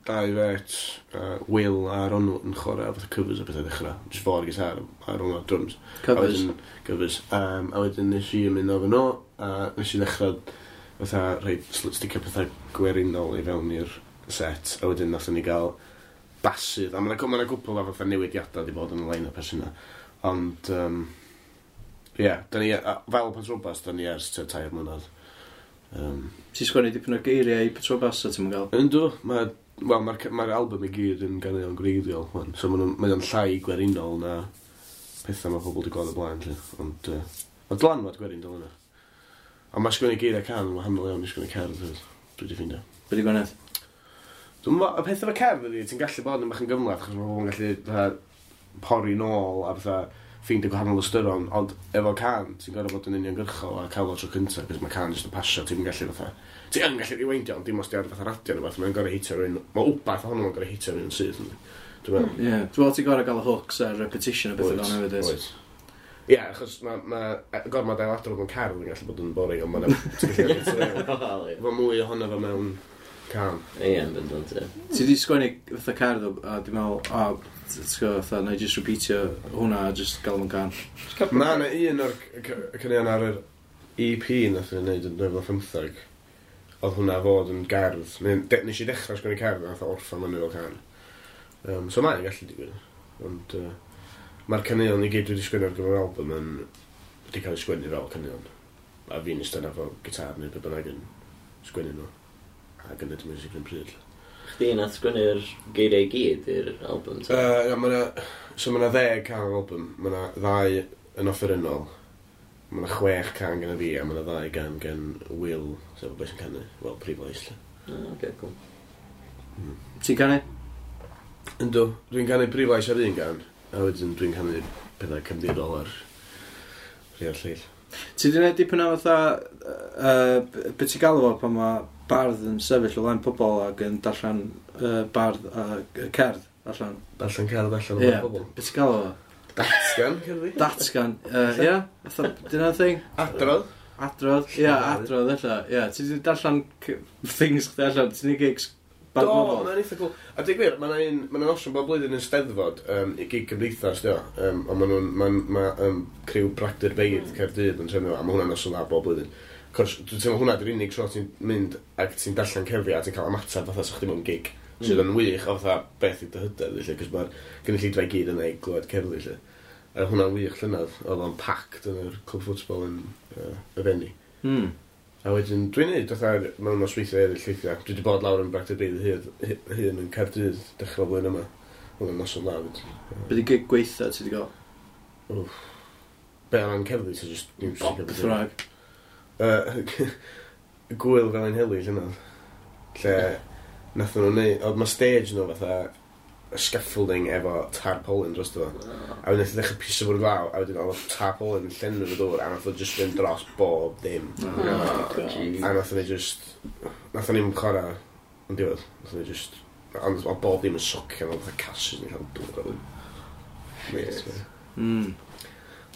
dau fet, uh, Will a Ronw yn chwarae fatha covers a bethau ddechrau. Just fo'r gitar a Ronw ar drums. A Covers. wedyn, covers. Um, a wedyn nes i ymuno efo nhw, a nes i ddechrau fatha rhoi sl- sticio pethau gwerinol i fewn i'r set, a wedyn nathon ni gael basydd, a ma' 'na ma' 'na gwpl o fatha newidiadau di bod yn y line-up ers hynna. Ond, um, ie, yeah, da ni, a, fel Patrobas, da ni ers tua tair mlynedd. Um, Ti'n sgwennu dipyn o geiriau i Patrobas a ti'n gael? Yndw, mae, wel, mae'r mae'r album i gyd yn ganeuon gwreiddiol, wan. So maen nhw'n mae o'n llai gwerinol na pethau mae pobl wedi gweld o blaen, lle. Ond, uh, mae dylanwad gwerin dal yna. Ond mae sgwennu geiriau can yn wahanol iawn i sgwennu cerdd hefyd. Dwi wedi ffeindio. Be di gwneud? Dwi'n meddwl, y peth efo cerdd ydi, ti'n gallu bod yn bach yn gymhleth, achos mae pobl yn gallu fatha, pori nôl a fatha ffeindio gwahanol ystyron, ond efo cân, ti'n gorfod bod yn uniongyrchol a cael o tro cyntaf, cos mae cân jyst yn pasio, ti'n gallu fatha... Ti yn gallu rewindio, ond dim os di ar fatha radio neu beth, mae'n gorfod hitio rhywun... Mae wbath ohono fo'n gorfod hitio rhywun syth, yndi. Dwi'n meddwl. Ie. Dwi'n meddwl ti'n gorfod gael y hooks a'r repetition a bethau fel 'na hefyd, Oes. Ie, achos mae ma, gormod ailadrodd mewn cerdd yn gallu bod yn boring, ond mae'n... Ti'n gallu Wel, ie. Efo mwy ohono fo mewn cân. Ie, yn bendant, ie. Ti di sgwennu fatha cerdd o- a dwi'n meddwl, o, ti'n gwybod, fatha, na i just repeatio hwnna a just gael o'n gân. Mae yna un o'r c- c- caneuon ar yr E P nath ni'n neud yn dwy fil a pymtheg. Oedd hwnna fod yn gerdd. Neu, de, nes i ddechrau sgwennu cerdd a nath o orffan fyny fel cân. Um, so mae'n gallu digwydd. Ond uh, mae'r caneuon i gyd dwi wedi sgwennu ar gyfer yr album yn wedi cael eu sgwennu fel caneuon. A fi'n eistedd yna efo gitar neu be bynnag yn sgwennu nhw. Ac yn neud y music yn pryd. Chdi nath sgwennu'r geiriau i gyd i'r album, ta? Uh, ia, ma' 'na, so mae yna ddeg cân ar album. Mae yna ddau yn offerynnol. Mae yna chwech cân gan fi a mae yna ddau gan gan Will, sef y boi sy'n canu. Wel, prif lais, lle. O, oce, cool. Ti'n canu? Yndw, dwi'n canu prif lais ar un gân, a wedyn dwi'n canu pethau cefndirol ar rhai o'r lleill. Ti di gwneud dipyn o fatha, uh, be ti'n galw fo pan mae bardd yn sefyll o flaen pobol ac yn darllen uh, bardd a uh, cerdd allan? Darllen cerdd allan o Ie. flaen pobl. Be ti'n galw fo? Datgan, cerddi? Datgan. Ie, yeah, fatha, dyna'r thing? Adrodd. Adrodd, ie, yeah, adrodd ella. Ie, yeah, ti di darllen c- things chdi allan, ti'n neud gigs Do, barddonol? mae'n eitha cool. A dweud gwir, mae'n un, mae'n noson bob blwyddyn yn Steddfod, um, i gig cymdeithas, dio. Um, ond maen nhw'n, mae'n, ma, um, criw Bragdy'r Beirdd Caerdydd yn trefnu fo, a mae hwnna'n noson dda bob blwyddyn. Cos, dwi'n teimlo hwnna di'r unig tro ti'n mynd ac ti'n darllen cerddi a ti'n cael ymateb fatha sa chdi mewn gig. Sydd yn wych o fatha beth i dy hyder, felly, cos mae'r gynulleidfa i gyd yna i glywed cerddi, lle. A hwnna'n wych llynedd, oedd o'n packed yn yr clwb ffwtbol yn uh, y Fenni. Hmm. A wedyn, dwi'n neud fatha mewn nosweithiau eraill weithiau. Dwi wedi bod lawr yn Bragdy'r Beirdd hyd, hun yn Caerdydd dechrau blwyddyn yma. Hwnna'n noson dda fyd. Be di gig gweitha ti di gael? Be o ran cerddi, so just music a Beth beth. bynnag. Yy, Gwyl Felinheli llynedd. Lle nathon nhw neud, oedd mae stage nhw fatha scaffolding efo tarpaulin dros fo. A wedyn nath o ddechrau piso bwrw glaw, a wedyn oedd y tarpaulin yn llenwi fo dŵr, a nath o just fynd dros bob dim. Oh, God. Jeez. A nath ni just... Nath ni'n chwarae yn diwedd. Nath ni just... Ond oedd bob dim yn socio, oedd fatha cassis yn cael dŵr. Oedd yn... Mate. Mm.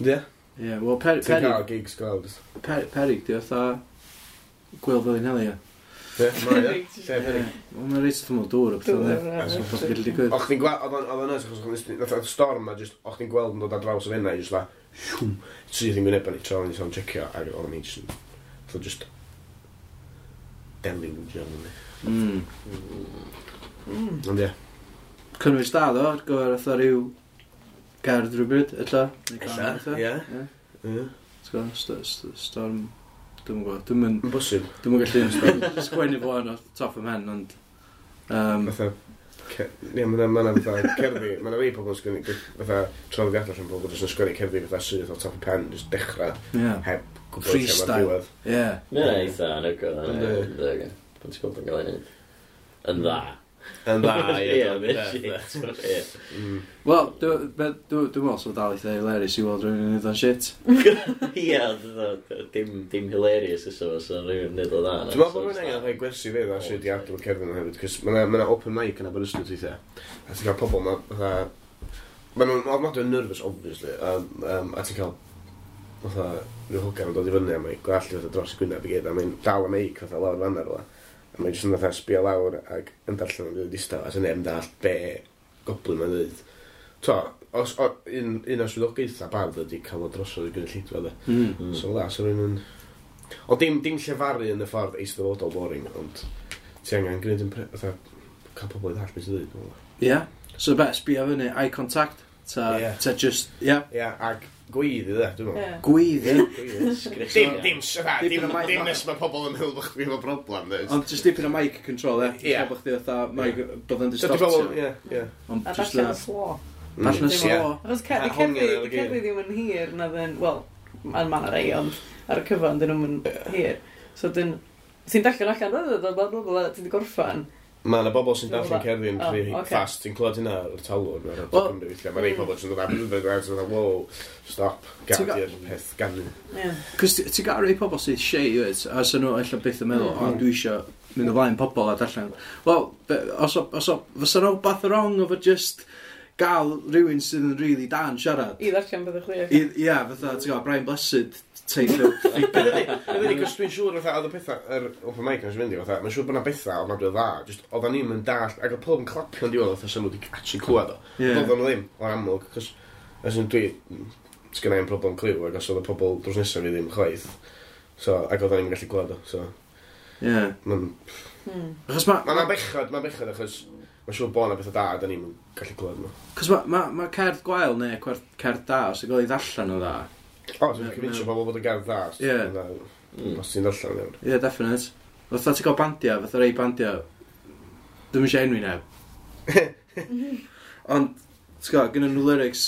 Ie? Ie, wel, peri, Ti'n peri, cael gigs gweld. peri, perig, di fatha Gwyl Felinheli, ie. Ie, mae ie. Lle perig. Wel, mae'n reit wrth ymyl dŵr o bethau, Dŵr, yndi. ie. So, beth gallu digwydd. O'ch chdi'n gweld, oedd o'n oedd o'n nuts, achos o'ch chdi'n, nath oedd storm a just, o'ch chdi'n gweld yn dod ar draws y Fenai, just like, shwm, syth yn gwyneb ni, tra o'n i'n checio, ac oedd o'n just, yn- oedd o just deluge o'n ni. Mm. Mm. Ond ie. Cynnwys da, ddo, ar gyfer fatha rhyw gerdd rhywbryd, ella. Neu cân, Ella, ella. ie. Ie. Ie. Ti'n gwbod, st- st- storm, dwi'm yn gwybod, dwi'm yn, Yn bosib. dwi'm yn gallu sgwennu fo yn off top of pen, ond... Um, Fatha, ce- ie, ma' 'na ma' 'na fatha cerddi, ma' 'na rei pobl yn sgwennu, fatha traddodiadol allan pobl jyst yn sgwennu cerddi fatha syth o top y pen, jyst dechrau, ie, heb gwybod lle mae'r Freestyle. diwedd. ie. Mae'n eitha anhygoel. Yndi. Yndi. Pan ti'n gwybod yn cael ei wneud. Yn dda. Yn dda, Ie, mae'n shit. Ie. Mm. Wel, dwi'n dwi, dwi meddwl so dal eitha hilarious i weld rhywun yn neud o'n shit. Ie, ond dim, dim hilarious ys o, so rhywun yn neud o dda. Dwi'n meddwl bod rhywun angen rhoi gwersi fi dda sut i adrodd cerddi nhw hefyd, cos ma' 'na ma' 'na open mic yn Aberystwyth weithiau. A ti'n cael pobl ma' fatha... Ma' nhw'n ofnadwy yn nervous, obviously, um, um, a ti'n cael fatha rhyw hogan yn dod i fyny a mae'n gwallt i fatha dros y gwyneb i gyd, a mae'n dal y meic fatha lawr fanna rwla. A mae'n jyst yn fatha sbio lawr ac yn darllen yn rili distaw, a sy'n neb yn dallt be goblin mae'n dweud. To, os, o, un, un o'r swyddogaethau bardd ydi cael o drosodd i gynulleidfa, de. Mm. Mm. So la, so rhywun yn... Ond dim, dim llefaru yn y ffordd eisteddfodol boring, ond ti angen gwneud yn... pre- Fatha, cael pobl i ddall beth sy'n dweud. Dwi'n meddwl. Ie. So be, sbio fyny, eye contact, ta, Ie. ta just, ie. Ie, ac gweiddi dde, dwi'n meddwl. Ie. Gweiddi. Gweiddi. Dim, dim, dim, Dipyn o mic- dim nes mae pobl yn meddwl bod chdi efo problem, dweud. Ond just dipyn o mic control, e. Ie. Ie. Bod chdi fatha, mic, bod yn So, di pobl, distortio. ie, ie. Ond A just darllen na. yn slo. Darllen yn Dim- slo. Achos ce- A di hongian cerddi ar y di cerddi ddim yn hir na ddyn, wel, mae'n ma' 'na rei, ond ar y cyfan dyn nhw'n hir. So dyn, ti'n darllen allan, bla, bla, bla, bla, bla, ti di gorffan, Mae yna bobl sy'n darllen cerddi'n Oh, rhy ocê. fast. Ti'n clywed hynna ar y talwrn ar Wel- Cymru weithiau. Mae rhai pobl sy'n dod ar a wow, stop, gad Ti'n ga- i'r peth ganu. Ie. Cos ti ti'n gael rhai pobl sydd shy, wyt, a sy'n nhw ella byth yn meddwl, Mm. o, dwi eisiau mynd o flaen pobl a darllen. Wel, be- os o, os o, fysa nhw wbath wrong efo just gael rhywun sydd yn really da yn siarad. I ddarllen beth chdi. I- Ia, fatha, ti'n gwybod, Brian Blessed type of figure. Ydy, cos dwi'n siŵr fatha, oedd y pethau, yr open mic nes i fynd i, fatha, mae'n siŵr bod 'na bethau ofnadwy o dda, just oedden ni'n mynd dallt, ac oedd pob yn clapio'n diwedd, fatha, sy'n nhw wedi actually clywed o. Ie. Oedden nhw ddim, o'r amlwg, cos, as in dwi, sgynna i'm problem clyw, ac os oedd y pobl drws nesaf fi ddim chwaith, so, ac oedden ni'n gallu clywed o, so, Ie. mae'n Hmm. Achos ma... ma' bechod, mae'n bechod, achos mae'n siŵr bod 'na bethau da, a da ni'n gallu clywed nhw. Cos ma, ma, ma cerdd gwael neu cerdd, cerdd da, os yw'n cael ei ddarllen o dda. O, ti'n convincio pobl bod y gerdd dda, os Ie. Mm. os ti'n darllen iawn. Ie, yeah, definite. Fatha ti'n gael bandia, fatha rei bandia, dwi'm eisiau enwi neb. Ond, ti'n gwybod, gynnu nhw lyrics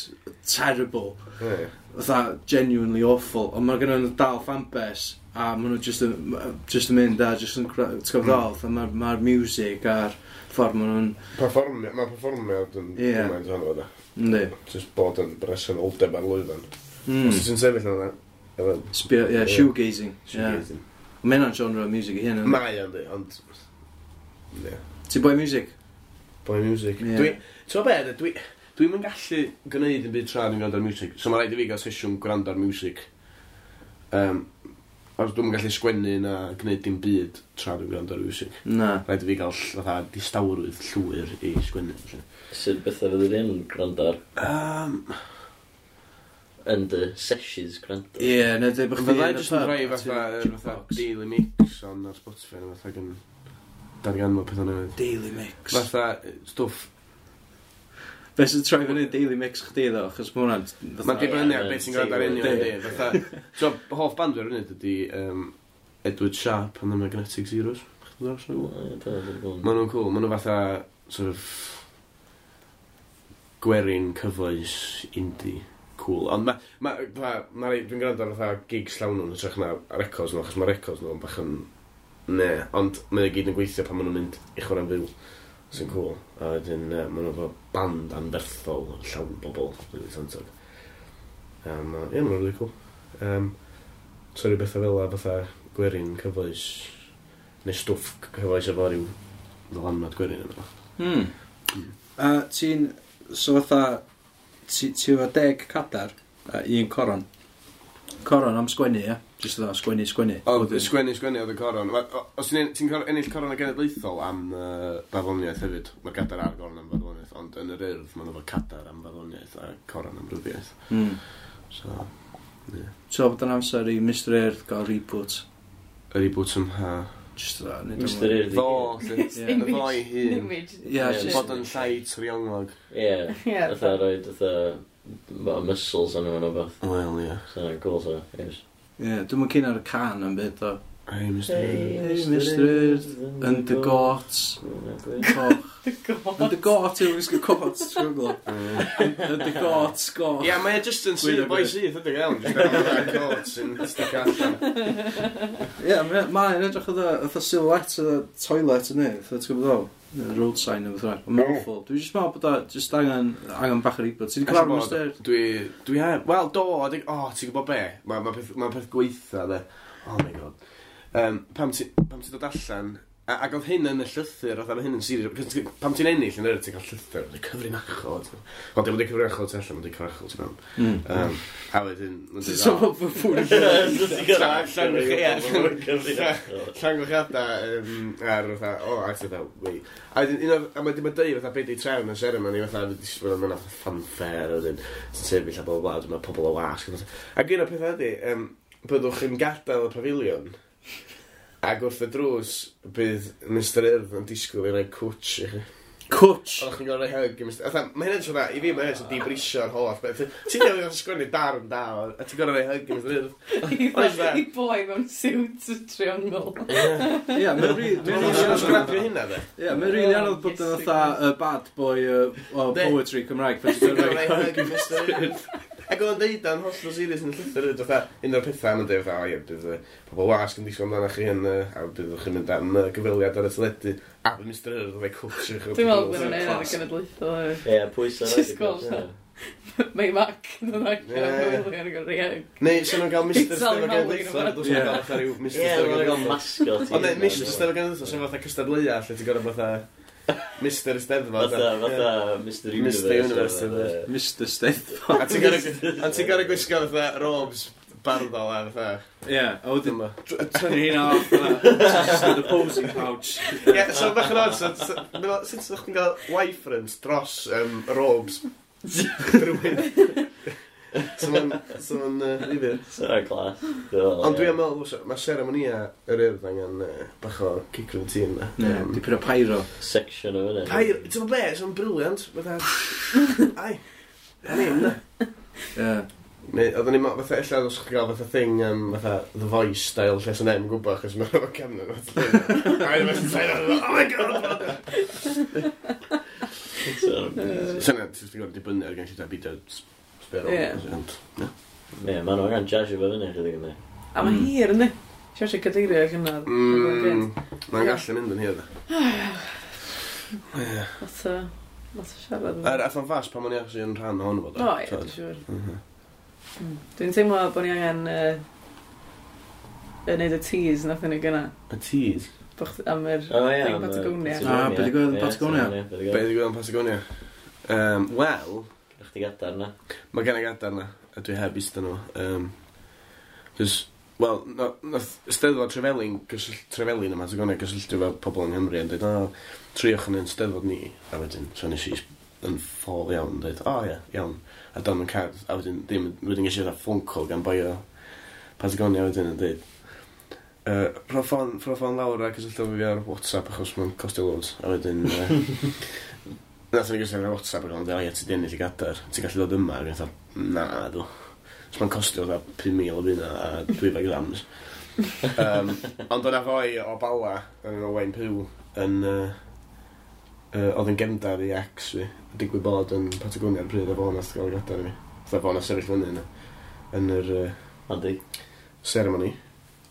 terrible. Ie. Fatha genuinely awful. Ond mae gynnu nhw dal fanbase, a maen nhw just yn, just yn mynd a just yn, ti'n gwybod ddol, fatha mae'r ma music a'r ffordd maen nhw'n, Perfformio, mae perfformiad yn Ie. gymaint ohono fo, da. yndi. Just bod yn bresenoldeb ar lwyfan. Mm. Os ti'n sefyll yna, efo Sbio, yeah, Ie. shoegazing. Yeah. shoegazing. Mae hynna'n genre o music i hyn. yndi? Mae o'n di, ond... Ie. Ti'n boi music? Boi music. Ie. Dwi, ti'n gwbod be, dwi, dwi'm yn gallu gwneud yn byd tra dwi'n gwrando ar music. So mae rhaid i fi gael sesiwn gwrando ar music. Um, os dwi'm yn gallu sgwennu na gwneud dim byd tra dwi'n gwrando ar music. Na. Rhaid i fi gael fatha distawrwydd llwyr i sgwennu. Felly. Sut bethau fyddi di'n gwrando ar? Um, Yn dy sessions gwrando? Ie, yeah, neu dweud bod chdi Fyddai yn y jyst yn pub rhoi a fatha, ti'n fatha jukebox. Daily Mix on ar Spotify neu fatha gan darganfod pethau newydd. Daily Mix. Fatha stwff. Be sy'n troi fyny Daily Mix chdi ddo, achos mae hwnna'n... fatha- Mae'n dibynnu ar Ie, beth ti'n gwrando ar teulu. union, yndi. Fatha, so, hoff band fi ar hynny ydy um, Edward Sharpe and the Magnetic Zeros. Chdi ddod O, ie, do, dwi'n gwybod. Maen nhw'n cool. Maen nhw fatha, sort of, gwerin cyfoes indie. Cool. Ond ma, ma, ma, ma, dwi'n gwrando ar fatha gigs llawn nhw'n hytrach na records nhw, achos mae records nhw'n bach yn... Ne, ond mae o gyd yn gweithio pan maen nhw'n mynd i chwarae'n fyw. Sy'n cool. A wedyn, uh, maen nhw efo band anferthol, llawn bobl, really talented. Um, uh, ie, maen nhw'n really cool. Um, so rhyw bethau fel la, fatha gwerin cyfoes, neu stwff cyfoes efo ryw ddylanwad gwerin yno. Hmm. A ti'n... So fatha... Ti ti efo deg cadar a un coron. Coron am sgwennu, ie? Just fatha sgwennu, sgwennu. Oedd sgwennu, sgwennu oedd y coron. Ma- o- Os ti'n ti'n cor- ennill coron y genedlaethol am uh, farddoniaeth hefyd, mae'r gadar a'r goron am farddoniaeth, ond yn yr Urdd maen nhw efo cadar am farddoniaeth a coron am ryddiaeth. Hmm. So, ie. So bod yn amser i Mr Urdd gael reboot. Y reboot ym ha. Just fatha... neud o Mr mwy. Urdd i Ddo, gyd. lle. Ie. Y ddo i hun. Image. Ie, Ie, just... Bod yn llai trionglog. Ie. Ie. Fatha roed fatha ma- muscles yn nhw o beth. Wel, ie. So, cool, so, yes. Ie, dwi'm yn keen ar y can am byd, o. Hey, Mr Urdd. Hey, Mr Urdd, yn dy got, coch. The god. Yn dy got, yw'n wisgo cot, ti'n gwybod? Yn dy got, goch. Ie, mae e just yn syth, Gwyn a boi gwyn. syth, ydy gael. Just efo coat sy'n stick allan. Ie, mae- mae'n edrych oedd fatha silhouette o toilet yn ei, fatha ti'n gwybod o? Road sign neu beth bynnag. Mae'n awful. Dwi'n just meddwl bod o just angen, angen bach o reboot. Ti wedi cyfarfod Mr Urdd? Dwi, dwi heb, wel, do, adeg, o, ti'n gwybod be? Mae ma peth, ma peth gweitha, de. Oh my god. Um, pam ti, pam ti dod allan, a, ac oedd hyn yn y llythyr, oedd hyn yn serious, cos ti- pam ti'n ennill yn yr, ti'n cael llythyr, oedd cyfrinachol. Wel, dim ond cyfrinachol tu allan, ond cyfrinachol tu mewn. Mm. Um, a wedyn, mae'n dweud, So, "O, mae pwy Llongyfarchiadau um, ar fatha, o, a ti fatha, wei. A wedyn, un o'r, a wedyn mae'n deud fatha, be di trefn y seremoni, fatha, disgwyl am yna fanfare, a wedyn, ti'n sefyll a bla bla, bla, mae pobl o wasg. Ac un o'r pethau ydy, um, byddwch yn gadael y pafiliwn, ac wrth y drws, bydd Mr Urdd yn disgwyl i roi cwtch i chi. Cwtch! Oeddech chi'n gorfod rhoi hug i Mr Fatha, mae hynny'n sôn, i fi mae hynny'n dibrisio'r holl beth. Ti'n newydd sgwennu darn da, a ti'n gorfod rhoi hug i Mr Urdd. Oes na? I boi mewn siwt triongl. Ie, mae'n rili... Dwi'n meddwl sy'n sgrapio hynna, de. Ie, mae'n rili anodd bod yn fatha y bad boy uh, o De. poetry Cymraeg. Pan ti'n Ti'n gorfod gorfod rhoi rhoi hug hug i Mr Urdd. Ac oedd o'n deud o'n hollol serious yn y llythyr, hefyd, fatha, un o'r pethau am yn deud, fatha, o ie, bydd yy, pobl wasg yn disgwyl amdanoch chi yn, yy, a byddwch chi'n mynd am yy, gyfweliad ar y teledu, a bydd Mister Urdd yn culture chi. Dwi'n meddwl bod nhw'n neud ar y genedlaethol hefyd. Ie, pwysau. Just gweld Mae Mac yn dod allan Ie. o'r gwely yn gwneud rhai. Neu, sy'n nhw'n gael Mister Sally Steddfod Howley Genedlaethol, yn dwi'n Ie. gael fatha rhyw Mister Ie, Steddfod mae'n gael Genedlaethol. mascot. Ond neu, Mister Steddfod Genedlaethol, sy'n fatha cystadleuaeth, lle ti'n gorfod fatha Mister Steddfod. Fatha, fatha Mister Universe. Mister Universe, fatha. Mister Steddfod. A ti'n gorfod a ti'n gorfod gwisgo fatha robes barddol a fatha. Ie, a wedyn Dyma. tynnu hynna off, fatha, just in the posing pouch. Ie, so bach yn odd, so, so, meddwl, sut ydych chi'n gael Y-fronts dros um, robes rhywun? So ma'n, so ma'n uh, ddifyr. So class. Ond dwi'n meddwl, so, mae seremonia yr Urdd angen uh, bach o kick rwy'n tîm na. Ie, dipyn o pyro. Section o fyny. Pair, ti'n gwybod be, so'n brilliant. Fatha, ai, a ni, na. Ie. Neu, oedden ni'n meddwl, fatha, ella os chi'n gael fatha thing, um, fatha The Voice style, lle sy'n neb yn gwybod, achos mae'n efo cefn yn fatha. Ai, oh my God! Sy'n ti'n gwybod dibynnu ar gen i beidio sbero. Ie. Ond, ie. Ie, maen nhw angen jazzio fo fyny chydig ynddi. A mae hir, yndi? Siarad cadeirio ac yna. Mm, Mae'n gallu mynd yn hir, da. Ie. Lot o, lot o siarad. Yr ath o'n fast pan o'n i actually yn rhan ohono fo, da. O, ie, dwi'n siŵr. Mhm. Mm. Dwi'n teimlo bod ni angen uh, yn neud y tease nath ni gynna. Y tease. Bo chdi- am yr O ie. thing am y Patagonia. Ah, be' digwyddodd yn Ie, Patagonia? Be' Be ddigwyddodd? ddigwyddodd yn Patagonia? Um, Wel, Chdi gadar na. mae gen i gadar na, a dwi heb eistedd nhw. Um, Cos, wel, no, nath Steddfod Trefelin, gysyll, Trefelin ym Mhatagonia gysylltu efo pobl yng Nghymru yn dweud, o, triwch yn ein Steddfod ni. A wedyn, so nes i yn ffôl iawn, dweud, o ie, iawn. A dan yn card, a wedyn, ddim, wedyn ges i fatha phone call gan boi o Patagonia wedyn yn dweud, uh, rho ffôn, rho ffôn lawr a cysylltu efo fi ar WhatsApp achos mae'n costio loads. A wedyn, uh, nath ni gysylltu ar WhatsApp ac o'n dweud, o ie, ti di ennill y gadar, ti'n gallu dod yma? Ac o'n dweud, na, dw. So mae'n costio fatha pum mil o bunna a dwy fag grams. um, ond o'na foi o Bala, yn Owain Pugh, yn, uh, uh, oedd yn gefndar i ex fi, digwydd bod yn Patagonia ar pryd, a fo nath gael y gadar i fi. Fatha fo nath sefyll fyny yn, yn yr uh, Andi. ceremony.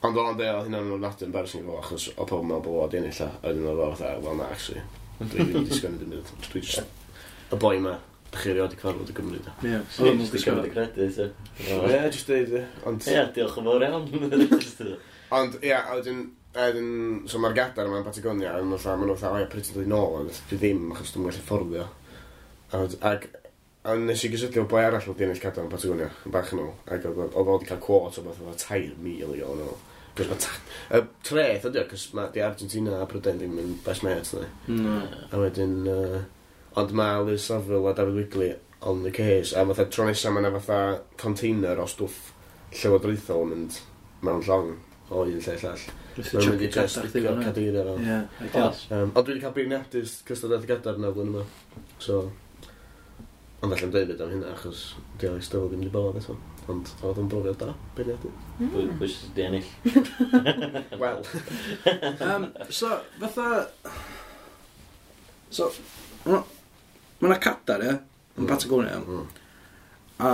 Ond o'n deud, oedd hynna'n ofnadwy embarrassing i fo, achos o pobl yn meddwl bod o wedi ennill a a wedyn oedd o fatha, well na, actually, dwi ddim wedi sgwennu dim byd. Dwi just, y boi ma, dych chi erioed 'di cyfarfod y Gymru, da. Ie. Oedd o'n Just i gymryd y credit, ie. Ie, just deud, ie. Ond, Ie, diolch yn fawr iawn. Just, yy, ond, ie, a wedyn, a wedyn, so mae'r gadar yma yn Patagonia, a maen nhw fatha, maen nhw fatha, o ie, pryd ti'n dod i nôl, ond dwi ddim, achos dwi'n gallu fforddio. A, wed- ac, a nes i gysylltu efo boi arall wedi ennill cadar yn Patagonia, yn bach yn ôl, ac oedd oedd o wedi cael quote o beth oedd tair mil i gael yn ôl. Cos mae ta- y treth ydi o, cos mae di Argentina a Prydain ddim yn best mates, na. No. A wedyn, uh, ond mae Liz Saville a David Wigley on the case, a fatha tro nesaf mae yna fatha container o stwff llywodraethol yn mynd mewn llong o un lle i llall. Mae'n mynd i just sticio cadeiriau fel. Ie, ideal. Um, ond dwi wedi cael beirniadu cystadleuaeth y gadar yna flwyddyn yma. So, ond allan dweud am hynna achos di Alex Stewart ddim wedi bod eto. Ond oedd o'n brofiad da, beirniadu. Pwy pwy sydd wedi ennill? Wel. Um, so, fatha... So, ma' yna cadar, ie, yn Mm. Patagonia, Mm. a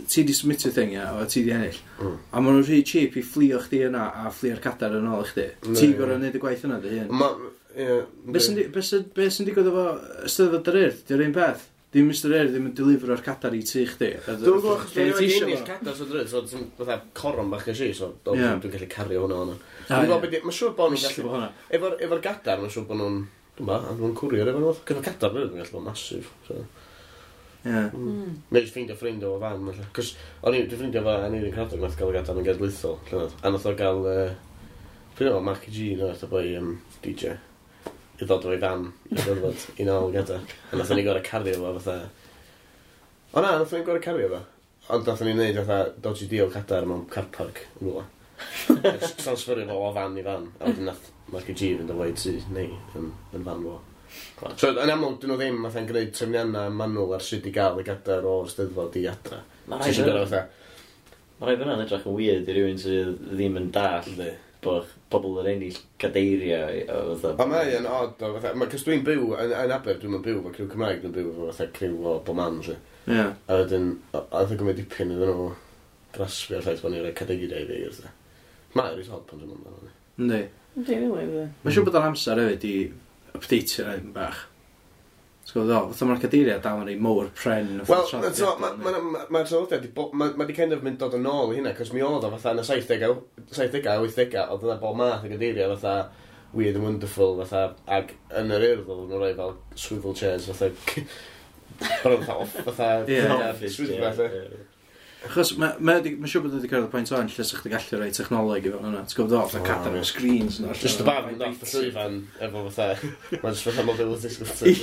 ti di submitio thing, ie, a ti di ennill. Mm. A maen nhw'n rhy cheap i fflio chdi yna a fflio'r cadar yn ôl i chdi. Ne. Ti'n gorfod neud y gwaith yna dy hun. Ma, ie. Be sy'n di- be sy'n be sy'n digwydd efo Eisteddfod yr Urdd? Di'r un peth? Dim Mister Urdd ddim yn delivero'r cadar i tŷ chdi. Dwi'n gwybod, achos Lle dwi'n ti isio ennill fo? cadar so drud, so ti'n fatha coron bach ges i, so Ie. dwi'n dwi'n gallu cario hwnna hwnna. Ah, Dwi'n ie. gwybod beth, mae'n siŵr bod nhw'n Wisgo gallu, fo hwnna. efo'r efo'r gadar, mae'n siŵr bod nhw'n, dwi'n ba, nhw'n courier efo nhw. Cos mae cadar rydyn yn gallu bod massive, so. Ie. Mm. Neu jyst ffeindio ffrind o fan, felly. Cos o'n i, dwi'n ffrindio fo Aneirin Karadog, nath gael y gadar yn genedlaethol, llynedd. A nath o gael, uh, ffrindio fo Marky G, nath o boi um, D J, i ddod o'i fan, i ddod i nôl y gadar. A nath o'n i gorau cario fo fatha... O na, nath o'n i gorau cario fo. Ond nath o'n i wneud fatha dodgy deal cadar mewn car park yn rhywle. A jyst transferio fo o fan i fan. A wedyn nath Marky G fynd o fo i tŷ, neu, yn, yn fan fo. So, yn amlwg, dyn nhw ddim fatha'n gwneud trefniannau manwl ar sut i gael y gadar o'r Steddfod i adra. Mae Ti rhaid eisiau gorau fyna- fatha, ma' rhaid fyna'n edrych yn weird i rywun sydd ddim yn dall yndi. bod pobl yn ennill cadeiriau o fatha. Ond mae yn odd, o, fatha, ma, cos dwi'n byw yn, yn Aber, dwi'n byw efo criw Cymraeg, dwi'n byw efo fatha criw o bob man, lle. Ie. A wedyn, a oedd yn gymryd dipyn iddyn nhw graspio'r ffaith bod ni'n rhoi cadeiriau i fi. Wrth. Mae'n reit od pan dwi'n mynd amdano. Yndi. Yndi, rili, yndi. Mae'n siŵr bod o'n amser hefyd i updateio rhaid bach. Ti'n gwybod ddol, fatha mae'r cadeiriau dal yn ei mowr pren. Wel, mae'r traddodiad di bo- ma' ma' di kind of mynd dod yn ôl i hynna, cos mi oedd o fatha yn y saithdegau, saithdegau, wythdegau, oedd yna bob math o gadeiriau fatha weird and wonderful, fatha, ag yn yr Urdd oedd nhw'n rhoi fel swivel chairs, fatha, bron fatha, off, fatha, Ie. Office swyddfa, chair, lle. ie. Achos mae ma, ma siŵr bod wedi cyrraedd y pwynt o'n lle sa'ch chdi gallu rhoi technoleg i fewn yna. Ti'n gwybod ddol, fatha O, cadar ie. efo screens yna. Just y bar yn off y llwyfan, efo fatha, mae'n just fatha mobility scooter. Ie.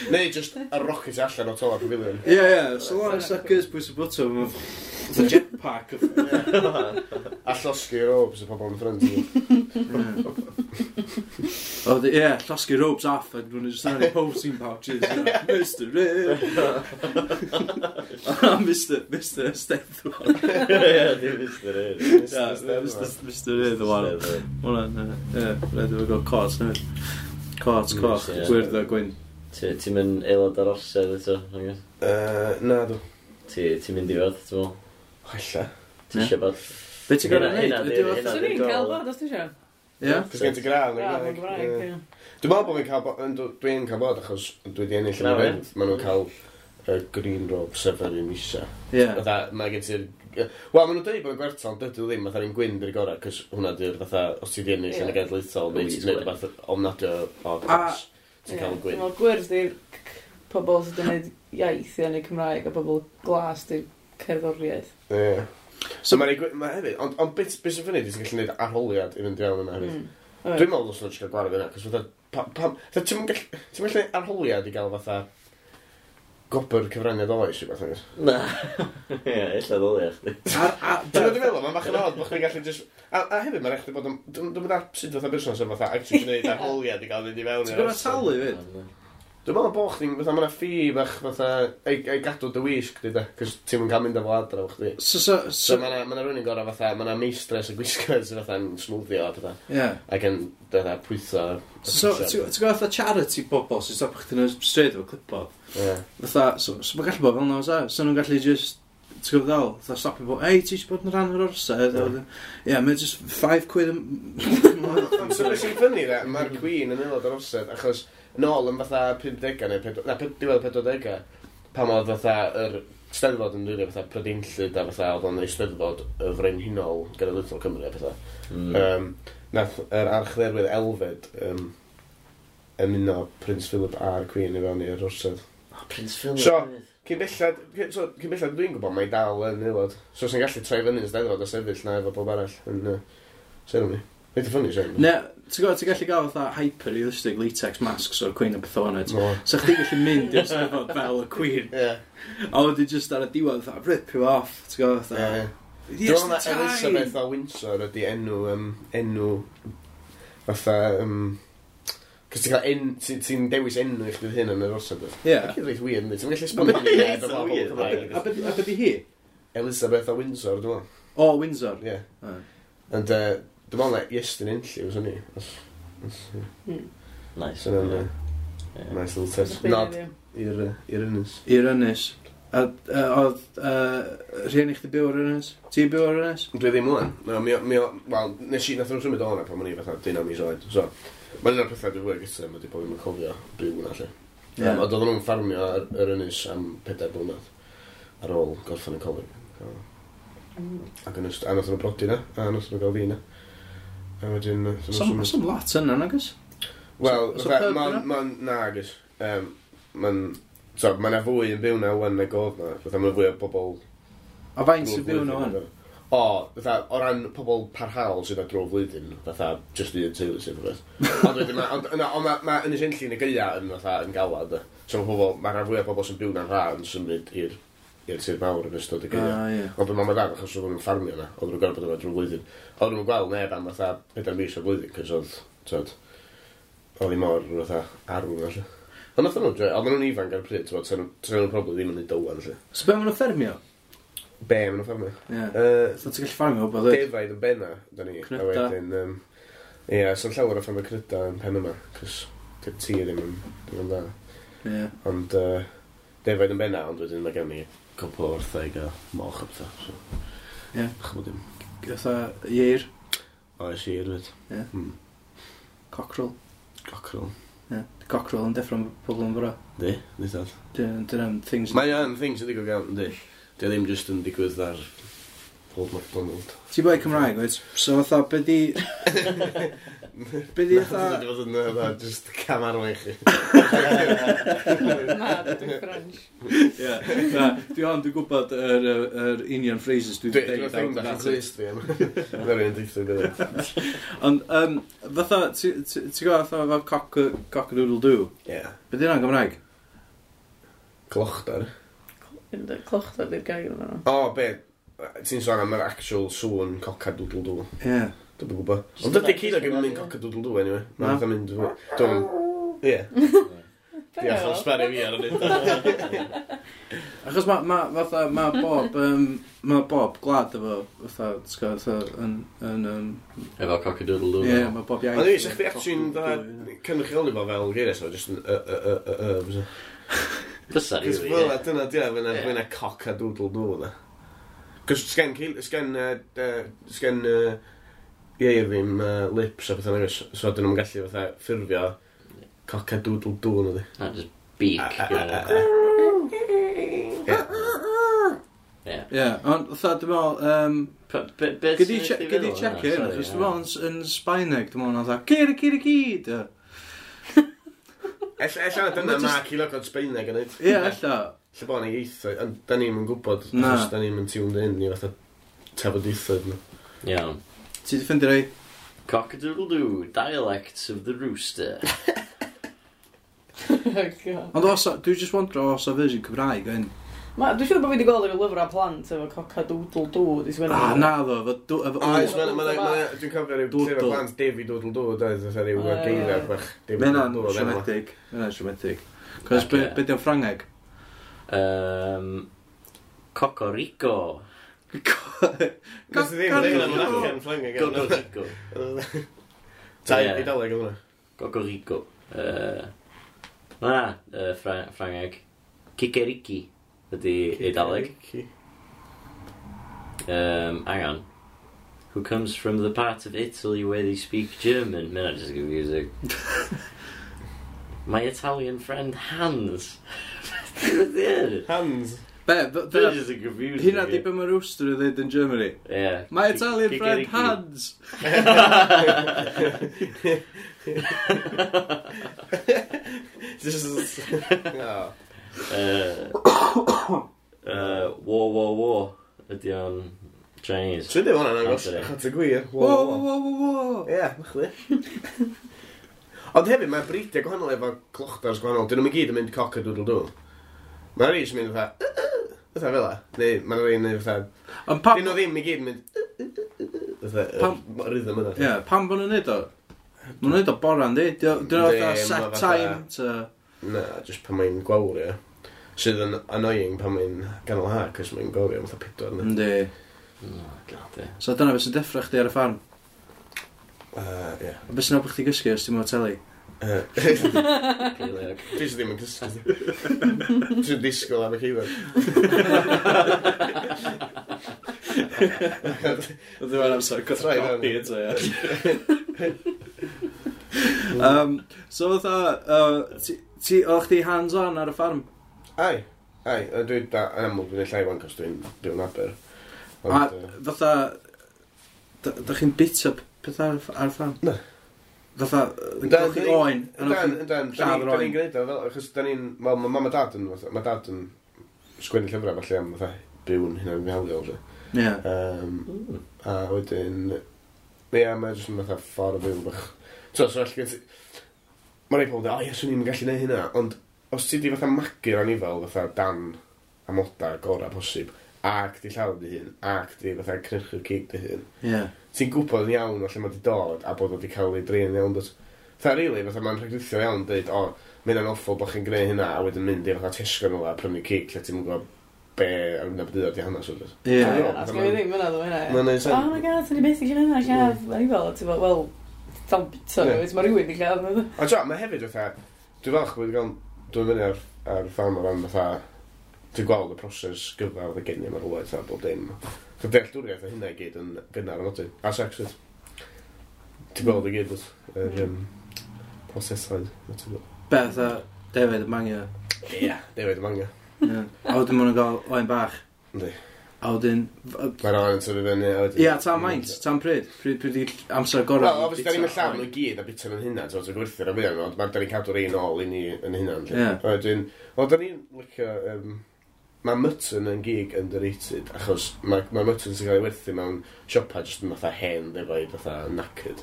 Neu just a rocket allan o tola pavilion. Ie, ie. So long as that goes pwys y bwtwm, fatha jetpack. A llosgi robes y pobl yn ffrind. O, di- ie, llosgi robes off a nhw'n just yn posing pouches. you know, Mister Urdd. Mister Mister Steddfod. Ie, dim Mister Urdd. Ie, Mister Mister Urdd o wan. Hwna'n, ie, rhaid i fo gael cot newydd. Cot, coch, Ie. gwyrdd a gwyn. Ti- Ti'n mynd aelod ar orsedd eto, nag oes? Yy, Na, dw. Ti- Ti'n mynd i fod, ti'n meddwl? Ella. Ti Ie. eisiau bod? Be ti'n gorau Hynna- neud? hynna Ydy di'r- o hynna fatha- Swn i'n cael bod, os ti eisiau. Ie? Cos gen ti gradd yn y Gradd yn Gymraeg. Gymraeg, Ie. ie. Dwi'n meddwl bod fi'n cael bo- yndw, dwi'n cael bod achos dwi wedi ennill yn Na, yr fe? Urdd. Maen nhw'n cael y green robe sef yr un isa. Ie. Fatha, mae gen ti'r... Wel, maen nhw'n dweud bod yn gwertol, ond dydw ddim, fatha'r un gwyn di'r gorau, cos hwnna di'r fatha, os ti wedi ennill yn y Ie. genedlaethol, neu ti'n gwneud rhywbeth ofnadwy o A- class, ti'n cael y Ie. gwyn. Dwi'n meddwl gwyrdd di'r c- pobl sydd wedi gwneud iaith i enw Cymraeg a pobl glas di'r cerddoriaeth. Ie. So mae'n gwyn, mae hefyd, ond ond beth beth sy'n funny, ti'n gallu gwneud arholiad i fynd i fewn yna hefyd. Mm. Dwi'n meddwl dylsen nhw jyst cael gwared yna, cos fatha, pa- pam, fatha, ti'n gallu, ti'n gallu neud arholiad i gael fatha gobr cyfraniad oes i beth, nagos? Na. Ie, ella ddylia chdi. Ar- a- Ti'n gwybod dwi'n meddwl, mae'n bach yn odd bod chdi'n gallu just... A, a hefyd, mae'n rhaid chdi bod yn... Dwi'n dwi'n mynd sut fatha busnes yn fatha actually gwneud arholiad i gael fynd i fewn. Ti'n i'r gorau orsedd. talu fyd? Dwi'n meddwl bod chdi'n... Fatha, mae 'na ffi bach fatha... Ei, ei gadw dy wisg, di da. Cos ti'n mynd cael mynd efo adra efo chdi. So, so, So so, mae 'na ma' 'na rhywun yn gorau fatha... Mae 'na meistres y gwisgoedd sydd fatha'n smwddio a pethau. ie. Ac yn fatha pwytho... So, ti'n ti'n gwybod fatha charity bobl sy'n stopio chdi yn y stryd efo clipboard? Ie. Fatha, so, so mae'n gallu bod fel 'na, oes e? So nhw'n gallu just, ti'n gwybod ddol, fatha stopio bod, ei, ti eisiau bod yn rhan o'r orsedd? Ie. Ie, mae'n just five quid yn... Ond so beth sy'n funny dde, mae'r Queen yn aelod o'r orsedd, achos nôl yn fatha pumdegau neu pedw- na, pum- diwedd pedwardegau, pan oedd fatha yr Steddfod yn rili fatha Prydeinllyd a fatha oedd o'n Eisteddfod y Frenhinol Genedlaethol Cymru a fatha. Mm. Um, nath yr archdderwydd Elfed um, ymuno Prince Philip a'r Queen i fewn i'r orsedd. Oh, Prince Philip. So- hefyd. Cyn bellad, cyn, so, cyn bellad dwi'n gwybod mae dal yn aelod. So sy'n gallu troi fyny yn Steddfod a sefyll na efo bob arall yn uh, ceremony. Reit funny ceremony. Ne, ti'n gwybod, ti'n gallu gael fatha hyper-realistic latex masks o'r Queen a beth o'n it. No. So chdi gallu mynd i'r Steddfod fel y Queen. Ie. A wedyn just ar y diwedd, fatha, rip you off. Ti'n gwybod, fatha, Ie. Yes, Dwi'n meddwl na the time! Elizabeth o Windsor ydi enw, um, enw fatha, um, cos ti'n cael en, ti'n ti dewis enw i chdi hyn yn yr orsedd. Ie. Mae'n reit weird, yndi? Ti'n gallu esbonio It's hynny i neb so efo weird, pobl Cymraeg. A be a be di hi? Elizabeth o Windsor, dwi'n meddwl. O, Windsor. Ie. Ah. Ond uh, dwi'n meddwl na Iestyn Enlli was hynny. Os, os, Mm. Nice. so yna'n Ie. uh, Ie. nice little touch. Nod i'r yy, i'r ynys. I'r ynys. A uh, oedd uh, rhieni chdi byw ar ynys? Ti'n byw ar ynys? Dwi ddim ŵan. No, mi, mi, wel, nes i, nath nhw'n symud o hwnna pan o'n i fatha deunaw mis oed. So, mae'n un o'r pethau dwi'n fwy gyda, mae di bod ddim yn cofio byw hwnna, lle. Ie. Um, ond oedden nhw'n ffarmio ar yr ynys am pedair blynedd ar ôl gorffen y coleg. So, Mm. ac yn ystod, a nath nhw brodi na, a nath nhw gael fi na. A wedyn, nath nhw Some, symud. some lot yna, nag oes? Wel, So- so fatha, pub ma'n, yna? ma'n, na, agos. Um, ma'n, so, ma' 'na fwy yn byw na wan nag oedd na. Fatha, ma' fwy o bobl A faint sy'n byw yna wan? O, fatha, o ran pobl parhaol sydd ar dro flwyddyn, fatha, just un teulu sydd o beth. Ond wedyn, ma' ond, na, ond ma' ma' Ynys Enlli yn y gaea yn fatha, yn galad. de. So ma' pobl, ma' rhan fwyaf o bobl sy'n byw na'n rha yn symud i'r i'r tir mawr yn ystod y gaea. Ah, ie. Ond mam a dad, achos oedden nhw'n ffarmio yna, oedden nhw'n gorfod bod yna drwy flwyddyn. Oedden nhw'n gweld neb am fatha pedair mis o'r blwyddyn, cos oedd, t'od, oedd hi mor fatha arw yna, lle. Ond nath nhw'n joio, oedden nhw'n ifanc ar y pryd, t'od, sa nhw- sa nhw'n probably ddim yn neud o wan, lle. So be maen nhw'n ffermio? Be maen nhw'n ffarmio? Ie. Yy, So ti'n gallu ffarmio o beth? Defaid yn benna, da ni. A Cnyda. wedyn, um, ie, so'n llawer o ffermio cnyda yn pen yma, cos Dy'r tir ddim yn ddim yn dda. Ie. Ond uh, defaid yn benna, ond wedyn mae gen i cwpl o wartheg a moch a pethau. So, Ie. Chymod dim. Fatha ieir, Oes ieir fyd. Ie. Mm. Cockerel. Cockerel. Ie. Cockerel yn deffro pobl yn bora. Di, di dad. Dyna'n things. Mae o'n thing sy'n digwydd iawn, yndi. Di o ddim just yn digwydd ar Old MacDonald. Ti boi Cymraeg, wyt? So fatha, be di... Be di fatha... Dwi'n fod yn fatha, just cam arwain chi. Na, dwi'n French. Ie. Na, dwi ond dwi'n gwybod yr, yr, yr union phrases dwi Dwi wedi dwi'n deud. thing bach yn clust fi am. Dwi'n rhywun deithio gyda. Ond, um, fatha, ti- ti- ti'n gwybod fatha fel cock, cock-a-doodle-doo? Ie. Be di hynna'n Gymraeg? Clochdar. Clochdar di'r gair yna. O, be? Ti'n sôn am yr actual sŵn cock-a-doodle-doo. Ie. Dwi'n gwybod. Ond dydy ceiliog ddim yn mynd cock-a-doodle-doo anyway. Na. Mae'n mynd... Dwi'n... Ie. Diolch am sbario fi ar y nid. Achos mae ma, fatha, ma bob, um, ma bob gwlad efo, fatha, ti'n gwybod, fatha, yn, yn, um, Efo cock-a-doodle-doo. ie, mae bob iaith. Ond i, sa'ch chdi actually'n dda cynrychioli fo fel geiriau, so just yn y, y, y, y, y, fysa. Fysa, Cos rili. fel yna, dyna, dyna, fyna, Ie. fyna cock-a-doodle-doo, na. Cos sgen, ceil- sgen, yy, yy, sgen, yy, ieir ddim yy, lips a pethau nag oes, so dyn nhw'n gallu fatha ffurfio cock-a-doodle-doo, na di. Na, just beak. A- Ie. Ie. Ie, ond fatha, dwi'n meddwl, um, P- be- be Gyd i sy'n che- chdi gyd i feddwl checio hwnna? hyn, Sorry, achos ie. dwi'n meddwl yn, yn Sbaeneg, dwi'n meddwl, fatha, ciri, ciri, ciri, Ella, ella dyna Ma' ma jyst- ceiliogod Sbaeneg yn neud. Ie, ella. Lle bo' ni ieithoedd, ond da ni'm yn gwybod, Na. achos da ni'm yn tuned in i fatha tafodieithoedd nhw. Iawn. Ti di ffindio rei? Cock-a-doodle-doo, dialects of the rooster. Oh, God. Ond os, a- dwi just wondro os o version Cymraeg o hyn. Ma, dwi'n siŵr bod fi wedi gweld yr lyfrau plant efo cock-a-doodle-doo di sgwennu. Ah, na ddo, efo dw- efo Oes, o. mae'n, mae'n, mae'n, dwi'n cofio rhyw Doodle. llyfr plant Davy Doodle Doo, doedd, fatha rhyw O, ie. geiriau bach. Davy Mae hynna'n Doodle Doo, oedd enw fo. siomedig. Mae hynna'n siomedig. Cos be, Ocê. be di o'n Ffrangeg? Um, Cocorico. Nes i ddim yn dweud am acen Ffrangeg. Cocorico. Ta, Ie. Eidaleg oedd hwnna. Cocorico. Uh, na, uh, Fra Ffrangeg. Kikeriki ydy Eidaleg. Um, hang on. Who comes from the part of Italy where they speak German? Mae hynna just confusing. My Italian friend Hans. Hans. Be, be, That's be, just a confusing. hynna di be mae rooster yn dweud yn Germany. Yeah. My Italian friend Kikeriki. Hans. Just... Oh. Uh, uh, wo, wo, wo. Ydy o'n Chinese. Dwi'n dweud hwnna'n agos, Anthony. achos y gwir. Wo, wo, wo, wo, wo. Ie, chdi. Ond hefyd, mae bridiau gwahanol efo clochdars gwahanol. Dyn nhw'n gyd yn mynd cock-a-doodle-doo. Mae rhai sy'n mynd fatha... Fatha fel 'a. Neu mae rhai yn mynd fatha... Ond pam... Dyn nhw ddim i gyd yn mynd... Fatha, Pam- y rhythm yna. Ie, pam bod nhw'n neud o? Maen nhw'n neud o bora, yndi? Dyn nhw'n Yndi, fatha ma' set fatha- time to... Na, just pan mae'n gwawr, ie. Sydd yn annoying pan mae'n ganol ha, cos mae'n gwawrio am fatha pedwar. yna. Yndi. Oh, God, ie. So dyna beth sy'n deffro chdi ar y ffarm. Yy, Ie. A beth sy'n helpu chdi gysgu os ti'n mwyn teli? Yy, Ceiliog. Dwi sydd ddim yn cysgu. Dwi'n disgwyl am y ceiliog. Oedd yma'n amser Try fewn. coffi eto, ie. Um, so fatha, uh, ti, ti, o'ch chdi hands-on ar y ffarm? Ai, ai, yy, dwi da, yn amlwg dwi'n llai wan, cos dwi'n byw'n Aber. A Ond, yy, fatha, da, da chi'n bita pethau ar, ar y ffarm? Na. Fatha, yn Dan, golchi dan ni- oen? Yndan, yndan, lladd yr da oen. ni'n gwneud o fel, achos da ni'n, wel, mae mam a dad yn, fatha- ma' dad yn sgwennu llyfrau falle am fatha byw'n hynna'n fihaliol, lle. Ie. Um, Mm. a wedyn, ie, mae jyst yn fatha ffordd o fyw bach. So, so, allu gen ti, mae rhai pobl yn dweud, o ie, swn i'n gallu neud hynna, ond os ti di fatha magu'r anifal fatha dan amoda gorau posib, ac di lladd dy hun, ac di fatha cynhyrchu'r cig dy hun, Ie. ti'n gwybod yn iawn o lle mae di dod a bod o di cael ei drin yn iawn dod. Fatha, really, fatha mae'n rhagritho iawn dweud, o, mae hynna'n awful bod chi'n gwneud hynna, a wedyn mynd i fatha Tesco nôl a prynu cig lle ti'n gwybod be ar yna byd di hanes o dod. Ie. Na, sgen i ddim yna, dwi'n hynna. Mae'n neud sen. Oh my God, sy'n i beth i hynna, lladd. O'n i fel, ti'n fel, wel, Dal bita Ie. nhw, wyt, mae rhywun i lladd nhw. Ond t'o, mae hefyd fatha, dwi'n falch bod wedi cael, dwi'n fyny ar, ar ffarm o ran fatha, dwi'n gweld y proses gyfa oedd y geni am rhywle, a bob dim. So dealltwriaeth o hynna i gyd yn gynnar yn nodyn. A sex, wyt. Ti'n gweld i gyd, wyt. Yr um, prosesau. wyt ti'n gweld. Beth a defaid y mangio. Ie, defaid y mangio. Ie. A wedyn maen nhw'n gael oen bach. Yndi. A wedyn... Mae'r oen yn tyfu fyny. a wedyn- Ia, tan maint, tan pryd. Pryd, pryd i amser gorau. Wel, obviously, da ni'n llawn nhw i gyd a bita nhw'n hynna, so ti'n gwerthu'r am fwyaf, ond da ni'n cadw'r un ôl i ni yn hynna. Ie. Wedyn, wel, da ni'n licio, um, mae mutton yn gig underrated, achos mae, mae mutton sy'n cael ei werthu mewn siopa jyst yn fatha hen defaid, fatha knackered.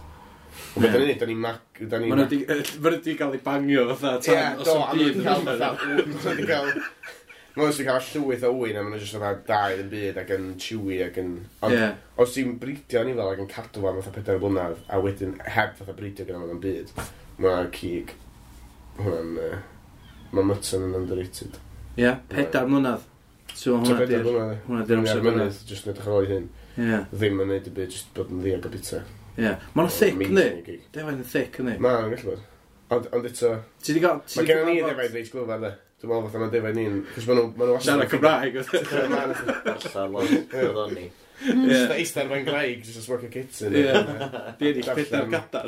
Ond beth da ni'n neud, da ni'n mac... Da ni'n Maen nhw wedi cael ei bangio fatha Ie, tan do, os a yn maen byd. nhw wedi cael fatha... Maen nhw wedi cael... Maen nhw wedi cael llwyth o wyn, a maen nhw jyst fatha da i'r byd ac yn chewy ac yn... Ond Ie. os ti'n bridio anifail ac yn cadw fo am fatha pedair blynedd, a wedyn heb fatha bridio gyda fo'n byd, mae'r cig, hwnna'n... Uh, mae mutton yn underrated. Ie, pedair mlynedd. So So hwnna pedair di'r... blynedd. Hwnna di'r amser Ar gorau. mynydd, jyst yn edrych ar ôl ei hun. Ie, Ddim yn neud y byd, jyst bod yn ddiog o bita. ie. Maen nhw'n thick, yndi? Amazing gig. Defaid yn thick, yndi? Ma' nhw'n gallu bod. Ond, ond eto, Ti di gael... ti mae 'di gennym ni cyfarfod- ddefaid reit glyfar, de. Dwi'n meddwl fatha mae defaid ni'n... Cos maen nhw... Maen nhw Siarad Cymraeg. Darllen lot, oedd o'n ni. Ie. Just eistedd ar fan graig, just a smoke a kitten. Ie. Di ennill pedair gadar.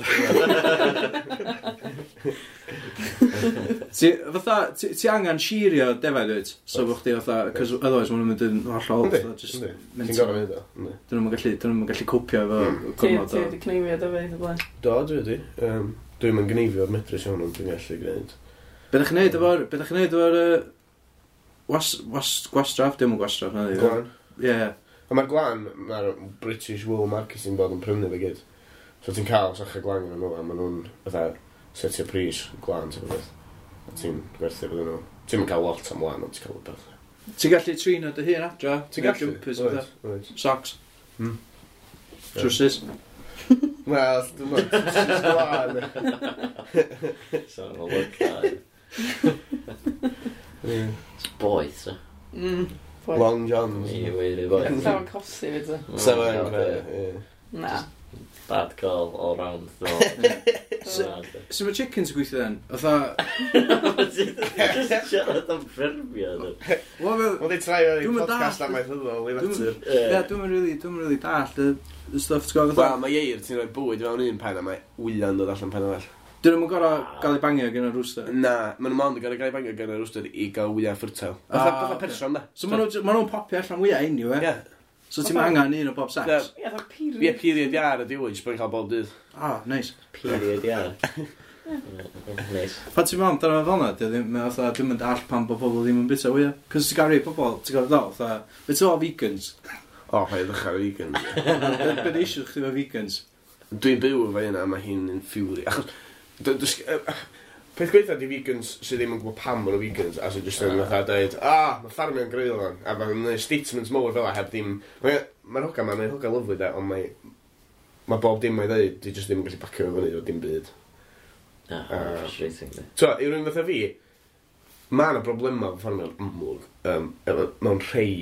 Ti, fatha, ti, ti angen sheario defaid wyt? So bo chdi fatha, cos otherwise maen nhw'n mynd yn hollol, Yndi, fatha, just yndi. Ti'n mental. gorfod mynd o, yndi. Dyn nhw'n gallu, dyn nhw'n gallu copio efo Mm. Ti gormod ti o... wedi cneifio defaid o blaen. Do, dwi wedi. Um, Dwi'm yn gneifio'r medrus iawn, ond dwi'n gallu gwneud. Be ddech chi'n neud efo'r, be ddech chi'n neud efo'r, yy, was, was, gwastraff? Dim yn gwastraff, na di. Glan. Ie. A mae'r glan, mae'r British Wool Marketing bod yn prynu fe gyd. So ti'n cael sacha glan yn nhw, a maen nhw'n fatha setio pris glan, ti'n beth. A ti'n gwerthu fydden nhw. Ti'n mynd cael lot am lan, ond ti'n cael rhywbeth. Ti'n gallu trin o dy hun adra? Ti'n gallu? Jumpers, Oes, fatha. oes. Socks. Hmm. Trowsus. Wel, dwi'n meddwl, trowsus glan. So, mae'n look da. Ie. It's boeth, so. Mm. Boeth. Long Johns. Mi weiri boeth. Sa'n cosi fyd, so. Sa fo'n greu, ie. Na. Bad call all round. Dwi'n So- Sut mae chickens yn gweithio then? Fatha... Just siarad am ffermio. dwi. Wel, fel- Wel, di trai o'r Dwi'm yn podcast dallt. amaethyddol i Dwi'm- natur. Ie, dwi'm yn really, dwi'm yn really dallt y y stuff, ti'n gwybod, fatha... Wel, mae ieir, ti'n rhoi bwyd fewn un pen a mae wyau'n dod allan pen arall. Dyn nhw'n gorau gael ei bangio gan y rooster. Na, maen nhw mond yn gorau gael ei bangio gan y rooster i gael wyau fertile. Fatha Ah, fatha ocê. person, da. So maen nhw- maen nhw'n popio allan wyau anyway. Ie. So ti'n angen un o bob sex. Ie. Ie, fatha period. Ie, period iar ydi wyt, jyst bod yn cael bob dydd. Ah, nice. Period, ia. Nice. Pan ti'n meddwl amdano fo fel 'na, dio ddim, mae fatha, dwi'm yn dallt pam bod pobl ddim yn bita wyau. Cos ti'n gael rhai pobl, ti'n gwybod ddol, fatha, beth ti'n fel vegans? O, paid ddechrau vegan. Be be di issue chdi efo vegans? Dwi'n byw efo hynna, mae hi'n infuriating. Achos, d- dys- yy, peth gweitha di vegans sydd ddim yn gwybod pam maen nhw vegans, a sydd jyst yn fatha dweud, ah, mae ffarmio'n greulon, a mae'n gwneud statements mowr fel 'a heb ddim... Mae'r ma hoga ma'n hoga lyfli de, ond mae... Mae bob dim mae'n dweud, di jyst ddim yn gallu bacio fo fyny o dim byd. Ah, Ah. frustrating. di. So, i rywun fatha fi, mae yna broblemau efo ffarmio'n amlwg um, efo, mewn rhai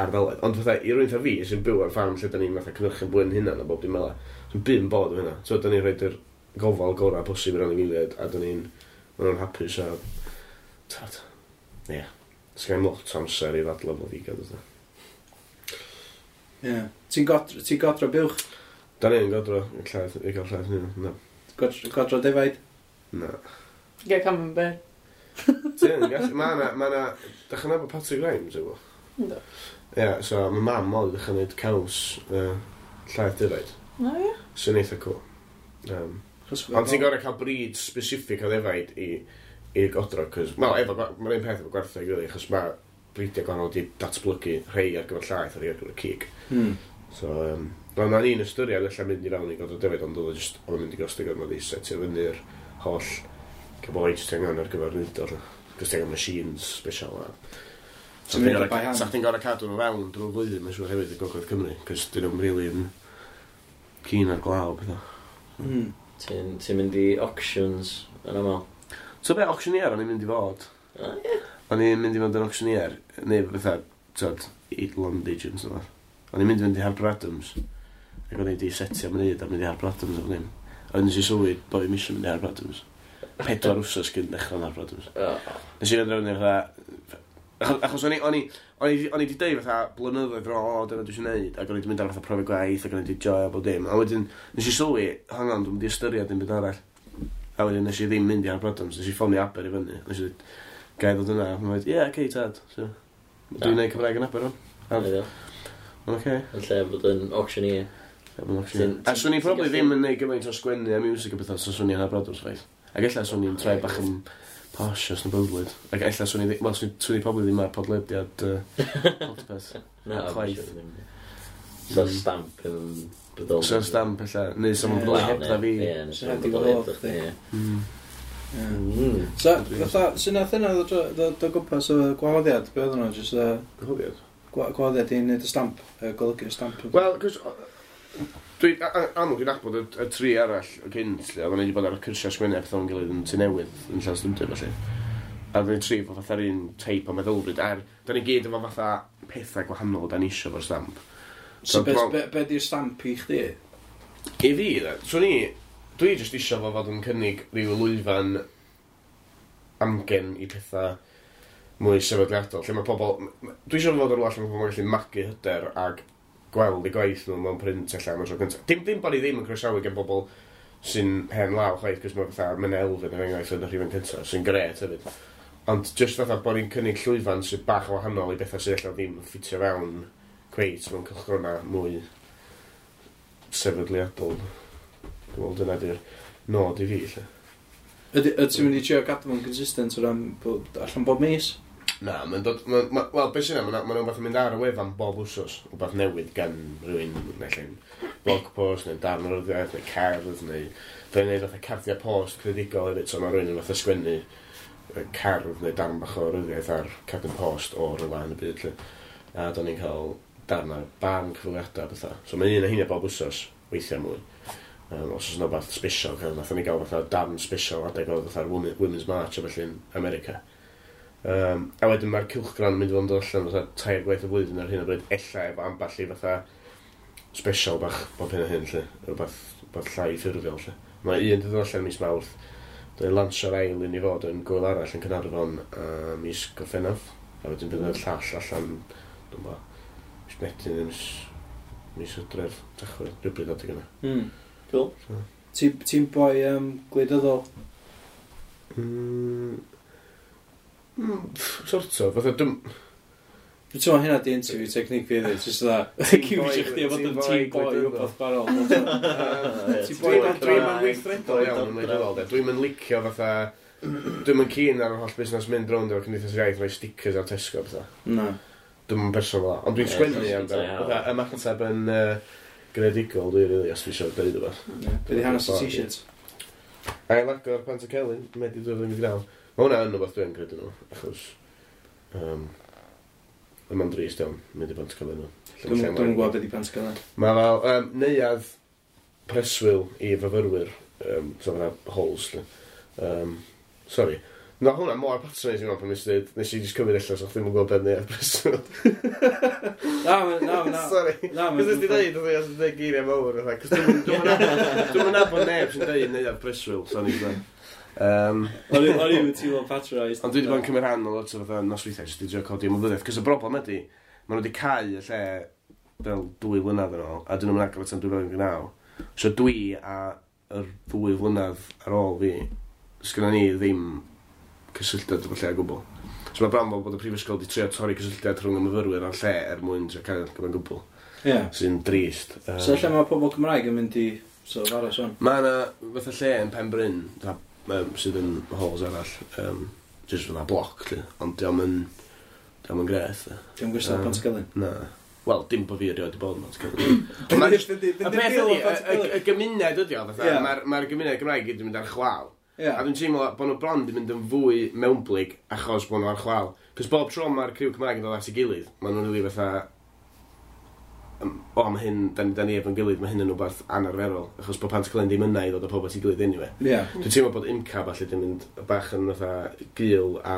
ardaloedd. Ond fatha, i rywun fatha fi sy'n byw ar ffarm lle da ni'n fatha cynhyrchu bwyd hynna a bob dim fel 'a, sy'n byd yn bod efo hynna. So, da ni'n rhoi'r gofal gorau posib i'r anifeiliaid a da ni'n, ma' nhw'n hapus a... Tad, ie. Yeah. Sgen i'm lot o amser i ddadlau efo vegan. Fatha. Ie. Ti'n godro, ti'n godro buwch? Da ni'n godro i llaeth, i gael llaeth hynny. Na. Godro, godro defaid? Na. Get camembert. Ti'n gallu, ma' na, ma' na, dach chi'n nabod Patrick Rimes efo? Yndw. Ie, yeah, so mae mam oedd ddechrau gwneud caws uh, llaeth defaid, O, ie. sy'n eitha cool. Um, Chos- ond ti'n gorau cael breed specific o ddefaid i, i godro, cos, wel, efo, mae'r un peth efo gwartheg, really, achos mae bridiau gwahanol wedi datblygu rhai ar gyfer llaeth a rhai ar gyfer cig. Hmm. So, um, wel, mae'n un ystyried allan mynd i fewn i godro defaid, ond oedd o just, oedd o'n mynd i gostio gormod i setio fyny'r holl cyboed ti angen ar gyfer wneud o. Cos ti angen machines special a... Sa Ti'n chdi'n neud o by gorau hand. sa chdi'n gorau cadw nhw fewn drwy'r flwyddyn, mae'n siŵr hefyd i Gogledd Cymru, cos dyn nhw'n really yn keen ar glaw, pethau. Hmm. Ti'n ti'n mynd i auctions yn aml? So be, auctioneer o'n i'n mynd i fod? O, ie. O'n i'n mynd i fod yn auctioneer, neu fatha, tyd, land agents o fath. O'n i'n mynd i fynd i Harper Adams. Ac o'n i wedi setio am wneud a mynd i Harper Adams o ddim. A wedyn nes i sylwi bod fi'n misio mynd i Harper Adams. Pedwar wsos cyn dechrau yn Harper Adams. Oh. Nes i fynd fatha... Achos, achos o'n i, o'n i, o'n i, o'n i wedi deud fatha blynyddoedd yn ôl, o, dyna dwi eisiau neud, ac o'n i wedi mynd ar fatha profi gwaith, ac o'n i wedi joio bob dim. A wedyn, nes i sylwi, hang on, dwi'n mynd i ystyried dim byd arall. A wedyn nes i ddim mynd i Harper Adams, nes i ffonio Aber i fyny. Nes i dweud, gai ddod yna? A mae'n dweud, ie, okay, tad. So, dwi'n neud Cymraeg yn Aber o'n. Mae'n oce. Yn lle bod yn auctioneer. Ti'n- A swn i probably ddim yn neud gymaint o sgwennu a music a bethau, so swn i'n Harper Adams chwaith. Ac ella swn i'n troi bach yn posh os na byddlyd. Ac ella swn i ddim, wel, swn i- swn i probably ddim ar podlediad uh, podpeth. Na, Chwaith. So stamp yn bodoli. So stamp ella, neu someone Ie. bodoli hebdda fi. Ie, neu So someone heb di bodoli wahodd hebdda chdi. chdi, ie. Mm. Ie. Mm. So, fatha, sut nath hynna ddod o- ddod o gwmpas o gwahoddiad? Be oedd hwnna? Jyst uh, Gwahoddiad? gwa- gwahoddiad i wneud y stamp, uh, golygu'r stamp. Wel, cos... Dwi, a- a- amlwg dwi'n nabod y, y tri arall o cynt, lle, oedden ni wedi bod ar y cyrsiau sgwennu a pethau o'n gilydd yn Tŷ Newydd, yn Llanstymdyn, felly. A oedden ni tri efo fatha'r un teip o meddylfryd, er, da ni gyd efo fatha pethau gwahanol da ni isio fo'r stamp. So, be, bron- be, be di'r stamp i chdi? I fi, de, swn i, dwi jyst isio fo fod yn cynnig rhyw lwyfan amgen i pethau mwy sefydliadol, lle mae pobl... m- m- Dwi isio fo fod yn rhywle lle mae pobl yn gallu magu hyder ag gweld eu gwaith nhw mewn print ella am y tro cyntaf. Dim, dim bod ni ddim yn croesawu gen bobl sy'n hen law chwaith, cos mae fatha Menna Elfyn er enghraifft yn y rhifyn cyntaf, sy'n gret hefyd. Ond jyst fatha bod ni'n cynnig llwyfan sy'n bach o wahanol i bethau sydd ella ddim yn ffitio fewn cweit mewn cylchgrona mwy sefydliadol. Dwi'n meddwl dyna di'r nod i fi, lle. Ydy, ydy ti'n mynd i trio gadw fo'n consistent o ran bod allan bob mis? Na, mae'n dod... ma- ma- Wel, beth sy'n yna, mae'n rhywbeth yn mynd ar y wefan bob wsos, rhywbeth newydd gan rhywun, neu allan blog post, neu darn o ryddiaith, neu cerdd, neu... Fe'n neud fatha cardiau post creadigol hefyd, so mae rhywun yn fatha sgwennu yy, cerdd neu darn bach o ryddiaith ar cardyn post o rhywle yn y byd, lle. A do'n ni'n cael darn ar barn cyfweliadau a bethau. So mae un o heina bob wsos, weithiau mwy. Um, os oes yna rhywbeth special, cael, nathon ni gael fatha darn special adeg oedd fatha'r Women- Women's March a felly yn America. Um, a wedyn mae'r cylchgrawn yn mynd i fod yn dod allan fatha tair gwaith y flwyddyn ar hyn o bryd, ella efo ambell i fatha special bach bob hyn a hyn, lle. Rhywbeth, rhywbeth llai ffurfiol, lle. Mae un 'di dod allan mis Mawrth. Dwi'n lansio'r ail un i fod yn gwyl arall yn Caernarfon uh, mis Gorffennaf. A wedyn bydd y llall allan, dwi'n bo, mis Medi neu mis, mis Hydref, Tachwedd, rhywbryd adeg yna. Mm. Cool. Ti'n ti boi um, gwleidyddol? Mm, mm, pff, sort of, fatha, dwi'n... Dwi'n teimlo hynna di interview technique fi hefyd, jyst dda. Ti'n Accusio chdi o fod yn boi team boy gwleidyddol. wbeth barol. Ti'n boi Dwi'n dodrefn. dwi'n weithredol iawn yn wleidyddol, de. Dwi'n yn licio fatha... Dwi'n yn keen ar yr holl busnes mynd rownd efo Cymdeithas yr Iaith, rhoi stickers ar Tesco a pethau. Na. Dwi'n yn person fel 'na. Ond dwi'n Ie, sgwennu ti'n amdano. hawl. Fatha, ymateb yn uh, greadigol, dwi'n really, os dwi eisiau dweud rhywbeth. Be di hanes y t-shirt? Ail agor Pantycelyn, Medi dwy fil un deg naw. Mae hwnna yn rhywbeth dwi'n credu nhw, achos... Um, Mae'n drist iawn, mynd i Pantycelyn nhw. Dwi'n dwi'n gwybod be di Pantycelyn. Mae fel um, neuadd preswyl i fyfyrwyr, um, so fatha halls, lle. Um, sorry. Na, hwnna mor patronising o'n pan nes i dweud, nes i just cymryd allan, so chdi ddim yn gwybod beth neuadd preswyl. Na, ma- na, na. Sorry. Na, Cos nes di dweud, oedd i'n dweud geiriau mawr, fatha, cos dwi'm yn nabod neb sy'n dweud neuadd preswyl, so ni'n dweud. Um, O'n i o'n i'm yn teimlo patronised. Ond dwi wedi bod yn cymryd rhan o lot o fatha nosweithiau, jyst i drio codi ymwybyddiaeth. Cos y broblem ydy, maen nhw wedi cau y lle fel dwy flynedd yn ôl, a dyn nhw'n agor tan dwy fil un deg naw. So dwi a yr ddwy flynedd ar ôl fi, sgynna ni ddim cysylltiad efo lle o gwbl. So mae bron fel bod y prifysgol wedi trio torri cysylltiad rhwng y myfyrwyr a'r lle er mwyn trio cael gyfa'n gwbl. Ie. Sy'n drist. Um, So lle mae pobl Cymraeg yn mynd i sort of aros o'n? Mae yna fatha lle yn Penbryn, fatha, um, sydd yn halls arall, um, jyst fatha bloc, lle, ond diolch yn, diolch yn grêt. e. Dwi'n gwisgo Yym, Pantycelyn. Na. Wel, dim bod fi erioed wedi bod yn Pantycelyn. Ond ma' jyst- Y peth ydi, y- y- y gymuned ydi o, fatha, Ie. mae'r mae'r gymuned Gymraeg gyd yn mynd ar chwal. Ie. A dwi'n teimlo bod nhw bron di mynd yn fwy mewnblyg achos bod nhw ar chwal. Cos bob tro mae'r criw Cymraeg yn dod at ei gilydd, maen nhw'n rili fatha... yym, O, mae hyn, da ni, da ni efo'n gilydd, mae hyn yn rhywbeth anarferol. Achos bod Pantycelyn ddim yna i ddod â pobl at ei gilydd anyway. Ie. Dwi'n teimlo bod YMCA falle di mynd bach yn fatha gul a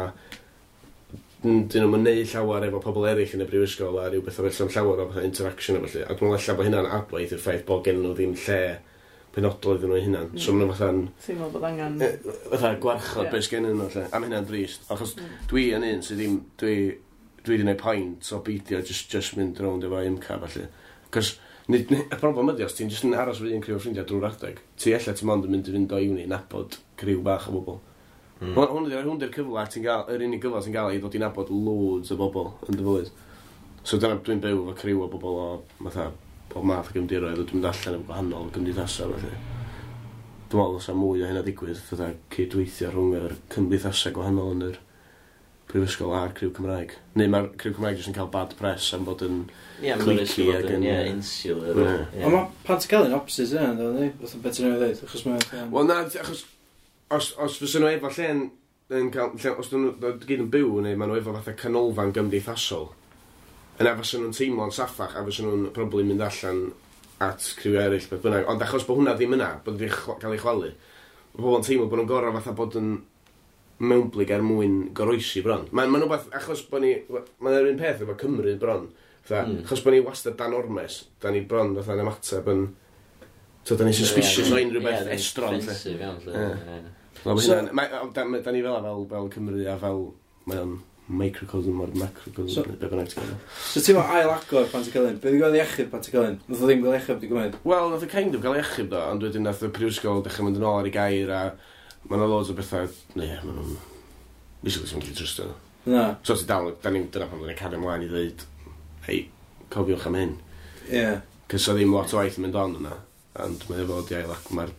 n- dyn nhw'n neud llawer efo pobl eraill yn y brifysgol a rhyw bethau felly am llawer o fatha interaction a felly. A dwi'n meddwl ella bod hynna'n adwaith i'r ffaith bod gen nhw ddim lle penodol iddyn nhw eu hunan. Mm. So maen nhw fatha'n Teimlo bod angen. eh, fatha gwarchod Ie. beth sgennyn nhw, lle. A ma' hynna'n drist. Achos Mm. dwi yn un sydd ddim, dwi, dwi wedi gwneud point o beidio just, just mynd rownd efo YMCA, felly. Cos, nid, nid, y broblem ydi, os ti'n just yn aros efo un criw o ffrindiau drwy'r adeg, ti ella ti'n mond yn mynd i fynd o uni nabod criw bach o bobl. Mm. Hwn hwn ydi'r hwn 'di'r cyfle ti'n gael, yr unig gyfle ti'n gael i ddod i nabod loads o bobl yn dy fywyd. So dyna dwi'n byw efo criw o bobl o fatha bob math o gefndiroedd, a dwi'n mynd allan efo gwahanol gymdeithasau felly. Dwi'n meddwl oes mwy o hynna digwydd, fatha cydweithio rhwng yr cymdeithasau gwahanol yn yr prifysgol a'r criw Cymraeg. Neu mae'r criw Cymraeg jyst yn cael bad press am bod yn Ie, mae'n cliquey bod ac yn, yn- ie, insular. Ie. Ie. Ond mae Pantycelyn opposite yna, ynddo, fatha beth ti'n ei ddweud, achos mae... Wel na, achos os, os fysa nhw efo lle'n yn cael, lle, os dyn nhw gyd yn byw neu maen nhw efo fatha canolfan gymdeithasol, yna fysa nhw'n teimlo'n saffach a fysa nhw'n probably mynd allan at criw eraill beth bynnag. Ond achos bod hwnna ddim yna, bod wedi chwa- cael ei chwalu, mae pobl yn teimlo bod nhw'n gorau fatha bod yn mewnblyg er mwyn goroesi bron. Mae'n ma rhywbeth, achos bod ni, mae'n yr un peth efo Cymru bron. Fatha, Mm. achos bod ni wastad dan ormes, da ni bron fatha'n ymateb yn... So, da ni suspicious o unrhyw beth estron. lle. Defensive iawn, lle. Ie. Ie. Wel, ma' So- hynna'n- mae- o, da, ma- da ni fel fel, fel Cymru a fel, mae o'n microcosm o'r macrocosm, So- so, be bynnag ti'n gael. So ti'n meddwl ail agor Pantycelyn? Be di gael ei achub Pantycelyn? Nath o ddim gael ei achub, di gwneud. Wel, nath o kind of gael ei achub do, ond wedyn nath y prifysgol dechrau mynd yn ôl ar ei gair a mae yna loads o bethau, ne, ma' nhw'n... Basically, ti'n gallu trystio nhw. Na, So ti dal, da ni, dyna pam da ni'n cario ymlaen i ddweud, hei, cofiwch am hyn. ie. Cys o ddim lot o waith yn mynd on yna, ond mae o fod i ail ac mae'r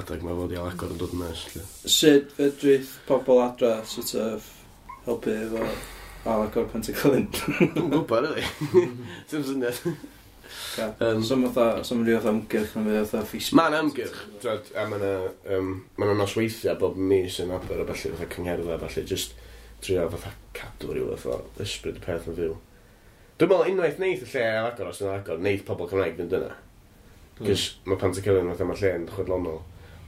adeg mae fod i ail agor yn dod yn nes. lle. Sut fedrith pobl adra sort of helpu efo ail agor Pantycelyn? Dwi'n gwybod, really. Dim syniad. Um, so fatha, so rhyw fatha ymgyrch neu fatha Facebook. Mae'n ymgyrch, twod, a mae yna um, ma' 'na nosweithiau bob mis yn Aber a ballu, fatha cyngherddau a ballu, just trio fatha cadw rhyw fath o ysbryd y peth yn fyw. Dwi'n meddwl unwaith neith y lle ail agor, os yna'n agor, neith pobl Cymraeg fynd yna. Cys mae Pantycelyn fatha mae lle'n chwedlonol.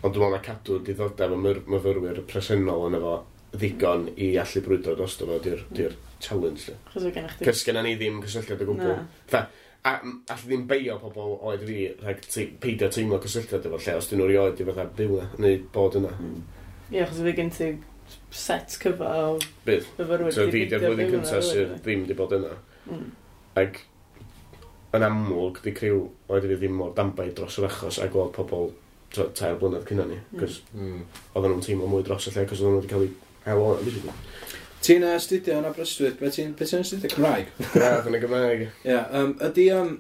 Ond dwi'n meddwl na cadw diddordeb y myr- myfyrwyr presennol yn efo ddigon i allu brwydro drosto fo, di'r di'r challenge. lle. Chos o gennych chdi. Cys genna ni ddim cysylltiad o gwbl. Na. Fatha, a m- allu ddim beio pobl oed fi rhag te- peidio teimlo cysylltiad efo lle os dyn nhw erioed i fatha byw na, neu bod yna. Ie, achos fi gen ti set cyfa o Bydd. fyfyrwyr So 'di fi di'r peidio flwyddyn byw yna, cyntaf sydd rili. ddim di bod yna. Mm. Ac yn amlwg, di criw oed fi ddim mor danbaid dros yr achos a gweld pobl t'o, tair blynedd cynna ni. Mm. Cos Mm. oedden nhw'n teimlo mwy dros y lle, cos oedden nhw wedi cael eu hel o'n, basically. Ti'n astudio yn Aberystwyth, be ti'n be ti'n astudio Cymraeg? Gradd yn y Gymraeg. Ie, yeah, um, ydy, um,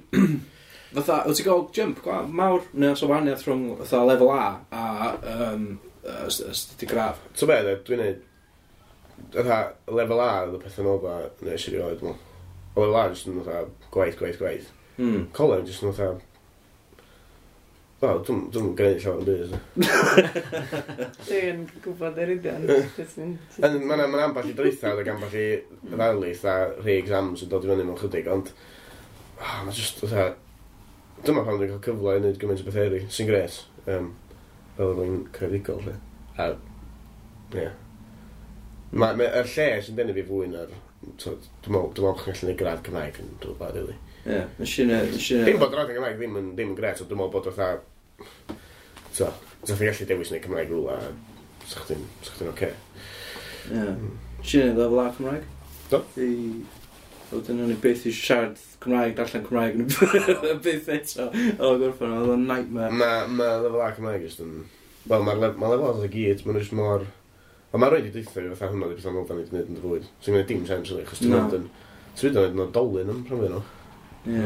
fatha, wyt ti'n gael jump gwa- mawr, neu os o wahaniaeth rhwng fatha lefel A a um, astudio gradd? So be, de, dwi'n neud, fatha, lefel A oedd y peth yn ofa nes i rioed, dwi'n meddwl. O lefel A jyst yn fatha gwaith, gwaith, gwaith. Mm. Coleg jyst yn fatha... Wel, dwi'n dwi'n gwneud llawer yn byd. Dwi'n gwybod yr union. Mae'n ma ma ambell i draethawd ac ambell i ddarlith a rhai exams yn dod i fyny mewn chydig, ond... Oh, mae jyst fatha... Dyma pam dwi'n cael cyfle i wneud gymaint o beth eraill, sy'n gret. Um, fel rwy'n creadigol, lle. A, ie. Yeah. Mae, ma, yr lle sy'n denu fi fwy na'r... t'od, Dwi'n meddwl, dwi'n meddwl bod chi'n gallu gwneud gradd Cymraeg yn dod ba, really. Ie, yeah, nes i ne- nes i ne- Dim bod gradd yn Gymraeg ddim yn, ddim yn gret, ond dwi'n meddwl bod fatha... So, sa chdi'n gallu dewis wneud Cymraeg rwla, sa chdi'n sa chdi'n oce. Ie. Nes i neud lefel A Cymraeg. Do? I... Wedyn o'n i byth i siarad Cymraeg, darllen Cymraeg, yn byth eto. O, gorffen, oedd o'n nightmare. Mae ma lefel A Cymraeg jyst yn... Wel, mae'r lef, ma lefel A i gyd, maen nhw jyst mor... Ond mae'n rhaid i deutha fi fatha hwnna di beth anodd da ni wedi gwneud yn dy fywyd. Sy'n gwneud dim sens, really, achos ti'n Na. mynd yn... Ti'n mynd yn oedolyn am rhan fwya nhw. Ie.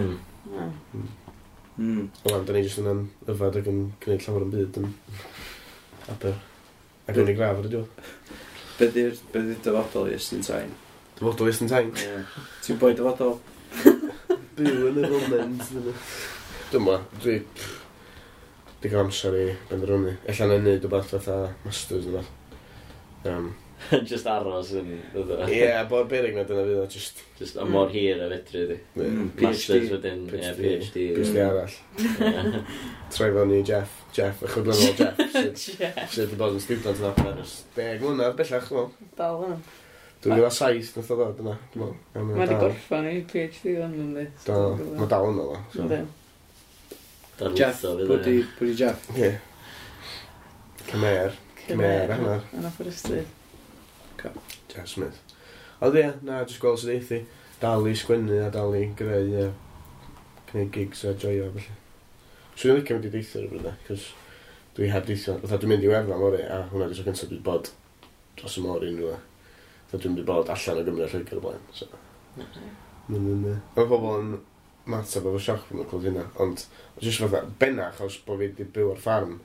Mm. Mm. Wel, da ni jyst yn yfad ac yn gwneud llawer yn byd yn Aber. Ac yn ei graf ar y diwedd. Be di'r be di'r dyfodol i Estyn Tain? Dyfodol Estyn Tain. Ie. Ti'n boi dyfodol? Byw yn y foment. Dwi'n ma, dwi... Digon amser i benderfynu. Ella na i neud rhywbeth fatha masters neu beth. Um, Just aros yn... fatha. Ie, yeah, bod berig na dyna fydd o, just... Just am mor hir a fedri di. Ie. Mm, Masters PhD. wedyn, ie, PhD. PhD. PhD arall. Ie. Troi fewn i Jeff. Jeff, y chwydlynol Jeff, sydd Ie. sydd wedi bod yn student yn Aber ers deg mlynedd bellach, dwi'n meddwl. Dal yna. Dwy fil a saith nath o ddod yna, dwi'n meddwl. A mae Mae wedi dal- gorffan ei PhD fan yndi. Dal, mae dal yna, ddo. So. Yndi. Jeff, Darlitho pwy di, pwy di Jeff? Ie. Cymer. Cymer, hanner. Yn Aberystwyth. Jeff Smith. Ond ie, na, jyst gweld sydd eithi. Dal i sgwennu a dal i greu, uh, gwneud gigs a joio, felly. So dwi'n licio mynd i deithio rhywbryd, cos dwi heb deithio. Fatha dwi'n mynd i Werddon fory, a hwnna di'r tro cyntaf dwi 'di bod dros y môr i unrhyw le. Fatha dwi'n mynd i bod allan o Gymru a Lloegr o blaen, so. Mae'n yn... yy, Mae pobl yn matab efo sioc pan nhw'n clywed hynna, ond jyst fatha, benna achos bod fi wedi byw ar ffarm,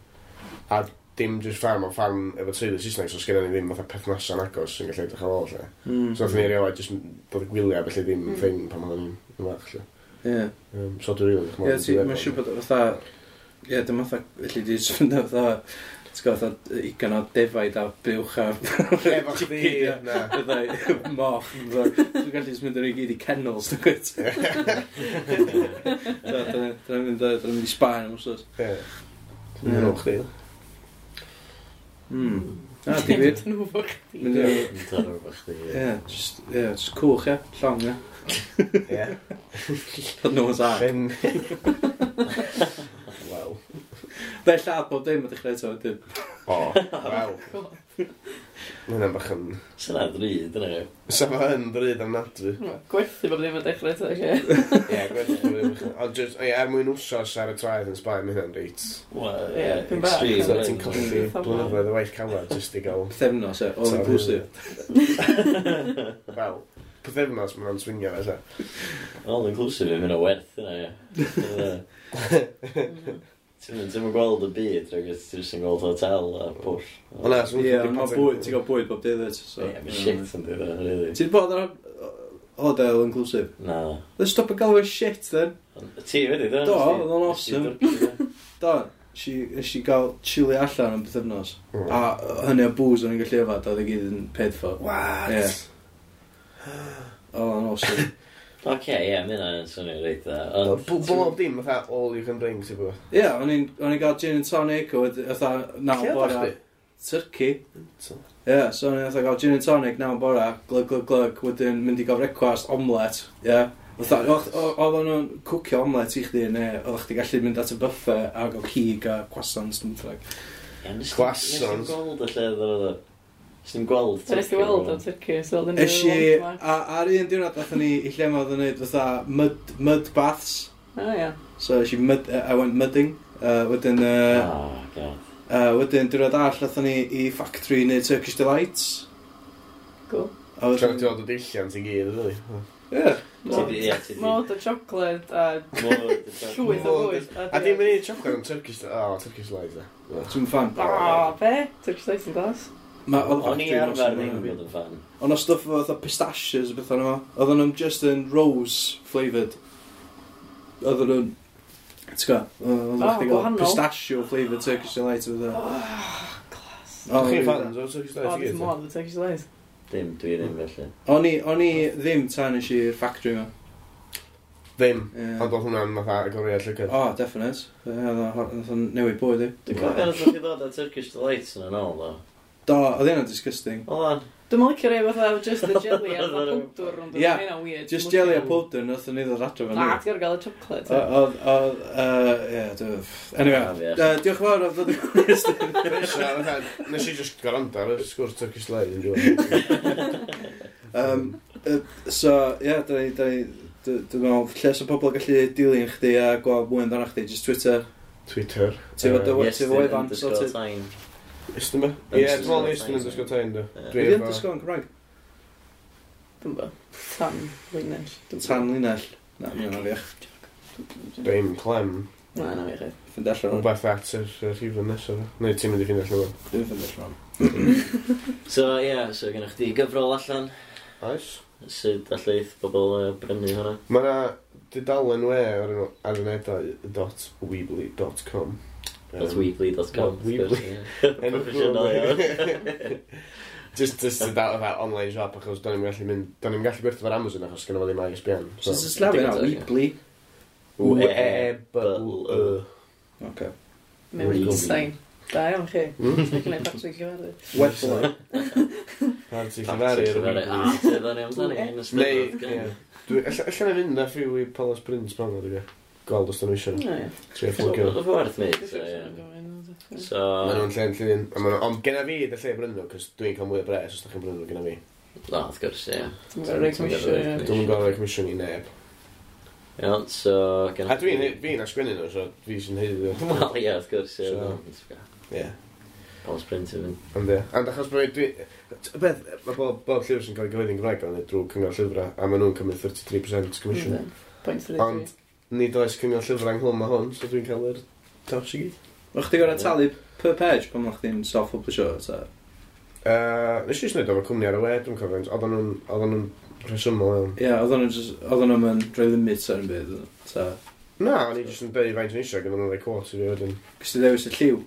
a dim jyst ffarm, ond ffarm efo teulu Saesneg, so sgenna ni ddim fatha perthnasa'n agos sy'n gallu edrych ar ôl, lle. Mm. So nathon ni erioed jyst bod y gwyliau, felly ddim Mm. thing pan oedden ni'n fach, lle. Ie. Um, so dwi'n rili edrych Ie, ymlaen ti, i mae'n siŵr bod fatha... Ie, dim fatha, felly di jyst fynd fatha... Ti'n gwybod, fatha ugain o defaid a buwch a... Efo chdi, na. Fatha moch. fatha, Dwi'n gallu jyst mynd ar ei gyd i kennels, dwi'n gwyt. Dyna mynd dyna mynd i Sbaen am wsos. Ie. Dwi'n mynd chdi. Mm. Na, di wir. Dyn nhw fo chdi. Mynd i... Mynd ar ôl chdi, ie. Ie, just, ie, just cwch, ie. Llong, ie. Ie. Oedd Noah's Ark. Pen. Wel. Fe lladd bob dim a dechrau eto wedyn. O, wel. Mae hynna'n bach yn... Sy'n ddrud, yna. Sa fo yn ddrud ofnadwy. Gwerthu bod ddim yn dechrau eto, lle. Ie, gwerthu bod ddim yn... Ond just, ie, er mwyn wsos ar y traeth yn Sbaen, mae hynna'n reit. Wel, Ie, ie, pyn bach. extreme. So ti'n colli Mm. blynyddoedd o waith calad jyst i gael... Pythefnos, e, all inclusive. Wel, pythefnos mae'n swingio fe, sa. All inclusive, yn mynd o werth yna, ie. Ti'n mynd ti'n mynd gweld y byd, rhaid ti'n jyst yn gweld hotel a pwll. O na, so Ie, ond mae bwyd, ti'n gael bwyd bob dydd, wyt, so. Ie, mae shit yn dweud, really. Ti'n bod ar hotel inclusive? Na. Let's stop a galw it shit, then. Ti wedi, do? Do, oedd o'n awesome. Do, nes i- nes i gael chilli allan am pythefnos. Mm. A hynny o booze o'n i'n gallu yfad, oedd i gyd yn paid for. What? Ie. Oedd o'n awesome. Oce, ie, mae hynna'n swnio reit dda. Ond- Bob dim, fatha all you can drink, ti'n bod. Ie, o'n i'n o'n i'n gael gin and tonic, a wedyn, fatha, naw Lle bora. oeddach chdi? Turkey. Ie, yeah, so o'n i'n fatha gael gin and tonic naw bora, glug, glug, glug, wedyn mynd i gael brecwast, omelet, ie. Yeah. Fatha, o- o- oedden nhw'n cwcio omelet i chdi, neu oeddech chdi gallu mynd at y buffet a gael cig a croissants, dwi'n bynnag. Ie, nes Croissants. Nes i'n gweld y lle oedd o. Nes i'n gweld So nes i weld o Turkey, so oedd yn Es i, a, ar un diwrnod athon ni i lle ma oedd yn neud fatha mud, mud baths. O, ie. So es i mud, uh, I went mudding. Uh, wedyn, uh, Oh, god. uh, wedyn diwrnod arall athon ni i factory i neud Turkish Delights. Cool. A Tra wedyn, ti'n dod o dilliant i gyd, really. ie. Ti di- ie, ti di- Mod o chocolate a llwyth o Mod- fwyd. A dim yn ei chocolate, ond Turkish... Oh, Turkish Delights, e. Dwi'n fan. O, be? Turkish Delights yn glas? Ma, oedd y O'n i factory yn arfer awesome, ddim ie. bod yn fan. Ond o stwff efo fatha pistachios a beth o'n nhw. Oedden nhw'n just yn rose flavoured. Oedden nhw'n... Ti'n gwybod? Oedden Oh, nhw'n gael gwahanol. pistachio flavoured Turkish Delight o bethau. Oh, glas. O, Chi'n really fans o Turkish O, Delights i dwi'n gyd? mod o Turkish Delights. Dim, dwi ddim felly. O'n i, o'n i ddim tan nes i'r factory ma. Ddim. Ie. Ond oedd hwnna'n fatha agoriad llygad. O, definite. Ie, Oedd o'n oedd o'n newid bywyd i. Dwi'n cofio nath chi ddod â Turkish Delights yn ôl, ddo. Do, oedd hynna'n disgusting. Oedd o'n? Dwi'n licio rei fatha just the jelly a fatha powdr ond Ie, yeah, hynna'n weird. Just jelly a powdr, nath o'n i ddod adre fan Na, ni. ti'n gorfod gael y chocolate. Oedd, oedd, yy, ie, dwi- Anyway, Ah, ie. yy, diolch yn fawr am ddod i So, fatha, Nes i just gwrando ar y sgwrs Turkish Delight yn diwedd. Um, uh, so, ie, yeah, da ni, da ni, dwi- dwi'n meddwl, lle sa pobl gallu dilyn chdi a gweld mwy amdano chdi, just Twitter. Twitter. Ti efo dy- Yes, ti efo wefan, underscore sorted. time. Ystyn be? Ie, dwi'n meddwl Iestyn underscore time, do. Ie. Dwi Ydy efo... underscore yn Cymraeg? Dwi'n bo. Tan linell. Dwi'm Tan linell. Na, mae'n afiach. Dim clem. Na, na fi chi. Ffind allan o'n. Rhywbeth at yr yr rhifyn nesaf. Neu ti'n mynd i ffindio allan o'n. Dwi'n ffind allan o'n. So, ie, yeah, so gennych chdi gyfrol allan. Oes? Sut allith bobl uh, brynu hwnna? Mae yna dudalen we o'r enw arenedau dot weebly dot com. Dot weebly dot com. Dot Weebly. Proffesiynol iawn. Just, just dudalen fatha online shop achos do'n i'm gallu mynd, do'n i'm gallu gwerthu ar Amazon achos gynno fo ddim I S B N. So, sy'n sillafu na, Digon teg, ie. Weebly. W E B L Y. Oce. Mewn Weebly. e-sign. Da iawn chi. Hmm? Ti'n gwneud batri llefaru. Webley. Parti llefaru ar y Ah, Weebly. ti'n ddod amdani yn y Neu, Steddfod, ie. Dwi, alla alla na fynd â few i Palace Prince pan dwi'n gwybod. gweld os dyn nhw eisiau. Ie. Trio fflwgio. Oedd werth neud, Dwi'n so, siŵr ie. sy'n gofyn. So, Maen nhw'n lle'n llun. A ma' nhw- Ond genna fi dy lle brynu nhw, cos dwi'n cael mwy o bres os da chi'n brynu nhw genna fi. Na, wrth gwrs, ie. Ti'n gorfod rhoi comisiwn, ie. Dwi'n gorfod rhoi comisiwn i neb. Iawn, so... gen- A dwi'n fi'n asgwennu nhw, so fi sy'n haeddu. Wel, ie, wrth gwrs, ie. So- Ie. Paul's print i fynd. Ond ie. Ond achos bod dwi... Y beth, mae bob, bob llyfr sy'n cael ei gyhoeddi'n Gymraeg o'n drwy Cyngor Llyfrau, a maen nhw'n cymryd thirty-three percent commission. Yndyn. Point three Ond nid oes Cyngor Llyfrau ynghlwm â hwn, so dwi'n cael yr tops i gyd. O'ch chdi gorau talu per page pan o'ch chdi'n self-publisho, ta? Uh, nes i jyst wneud efo cwmni ar y we, dwi'n cofio, oedden nhw'n oedden nhw'n rhesymol iawn. Ie, oedden nhw'n just, oedden nhw'n rhoi limit ar yn byd, ta? Na, o'n i jyst yn deud faint o'n eisiau, gyda nhw'n rhoi quote i fi wedyn. Cys ti ddewis y lliw?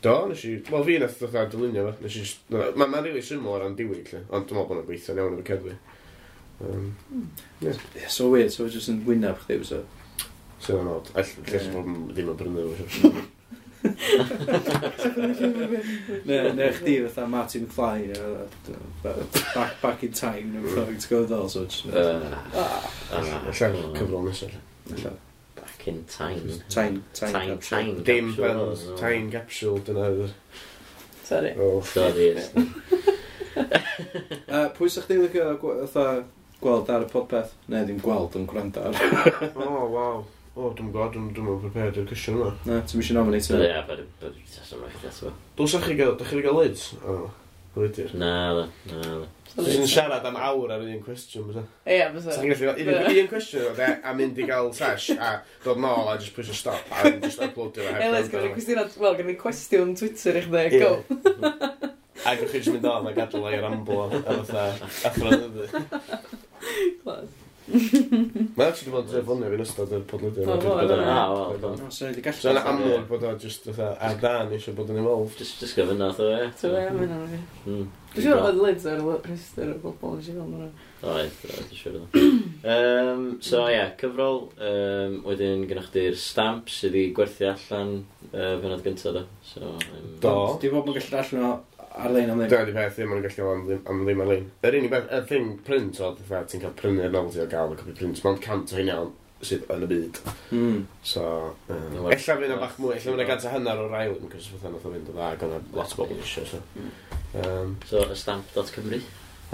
Do, nes i... Wel, fi nath ddod dylunio fo. Nes i just... Mae'n ma really syml o ran diwyg, lle. Ond dwi'n meddwl bod nhw'n gweithio'n iawn efo cerddi. Um, Yeah, so weird, so just yn wyneb chdi, so. Sy'n yn odd. Ell, lle sy'n bod ddim yn brynu fo. Neu, neu chdi fatha Marty McFly, neu fatha, back, back in time, neu fatha, ti'n gwybod ddol, so just... Uh, Ah, ah, Allan cyfrol nesaf. Ella. Back in time. Time, time Time, capsule. time Dim capsule, fel no. time capsule, dyna oedd. Sorry. Oh. Sorry, yes. Uh, pwy sa'ch chdi licio gw- fatha gweld ar y podpeth? Neu ddim gweld, ond gwrando ar. Oh, waw. O, dwi'n gwybod, dwi'n dwi'n prepared i'r cwestiwn yma. Na, ti'n eisiau nominate Ie, yna? but but just am rhaid eto. Dylsach chi gael, dych chi wedi gael lids? O, lydir. Na, na, na. Ti'n siarad am awr ar un cwestiwn, bysa? Ie, fysa. Sa chi'n gallu gael un, un cwestiwn o de, a mynd i gael sesh, a dod nôl a just pwysio stop, a just uploadio fo heb Elis, gwrando gynnu arno. cwestiwn, wel, gynnu cwestiwn Twitter i chdi, Ie. go. A gewch chi just mynd on a gadael o'i ramblo a fatha athro dyddi. Class. Mae actually wedi bod yn ffonio fi'n ystod y podlediad. O, Dwi 'di bod yn- o, Ah, wel, bod No, so ni wedi gallu. So yna amlwg bod o just fatha ar dan eisiau bod yn involved. Just, just gofynna, ddo, ie. So, ie, mae'n anodd. Mm. Dwi'n siŵr oedd Lids ar y rhestr o bobl nes i fel yna. Oedd, oedd, dwi'n siŵr oedd. Um, so, ie, yeah, cyfrol. Um, wedyn, gynnwch chdi'r stamp sydd wedi gwerthu allan uh, penod gyntaf, do. So, um, Do. Di bobl yn gallu darllen o ar-lein am ddim. Dyna di peth, ddim yn gallu am ddim, am ddim ar-lein. Yr unig beth, y thing print oedd, fatha, ti'n cael prynu'r novelty o gael y copi print. Mae'n cant o hynna sydd yn y byd. Mm. So, um, Werth- ella fydd yna bach mwy, ella fydd yna gant a hanner o'r ail un, cos fatha nath o fynd o dda, ac o'na lot o bobl eisiau, so. Um, So, y stamp dot cymru.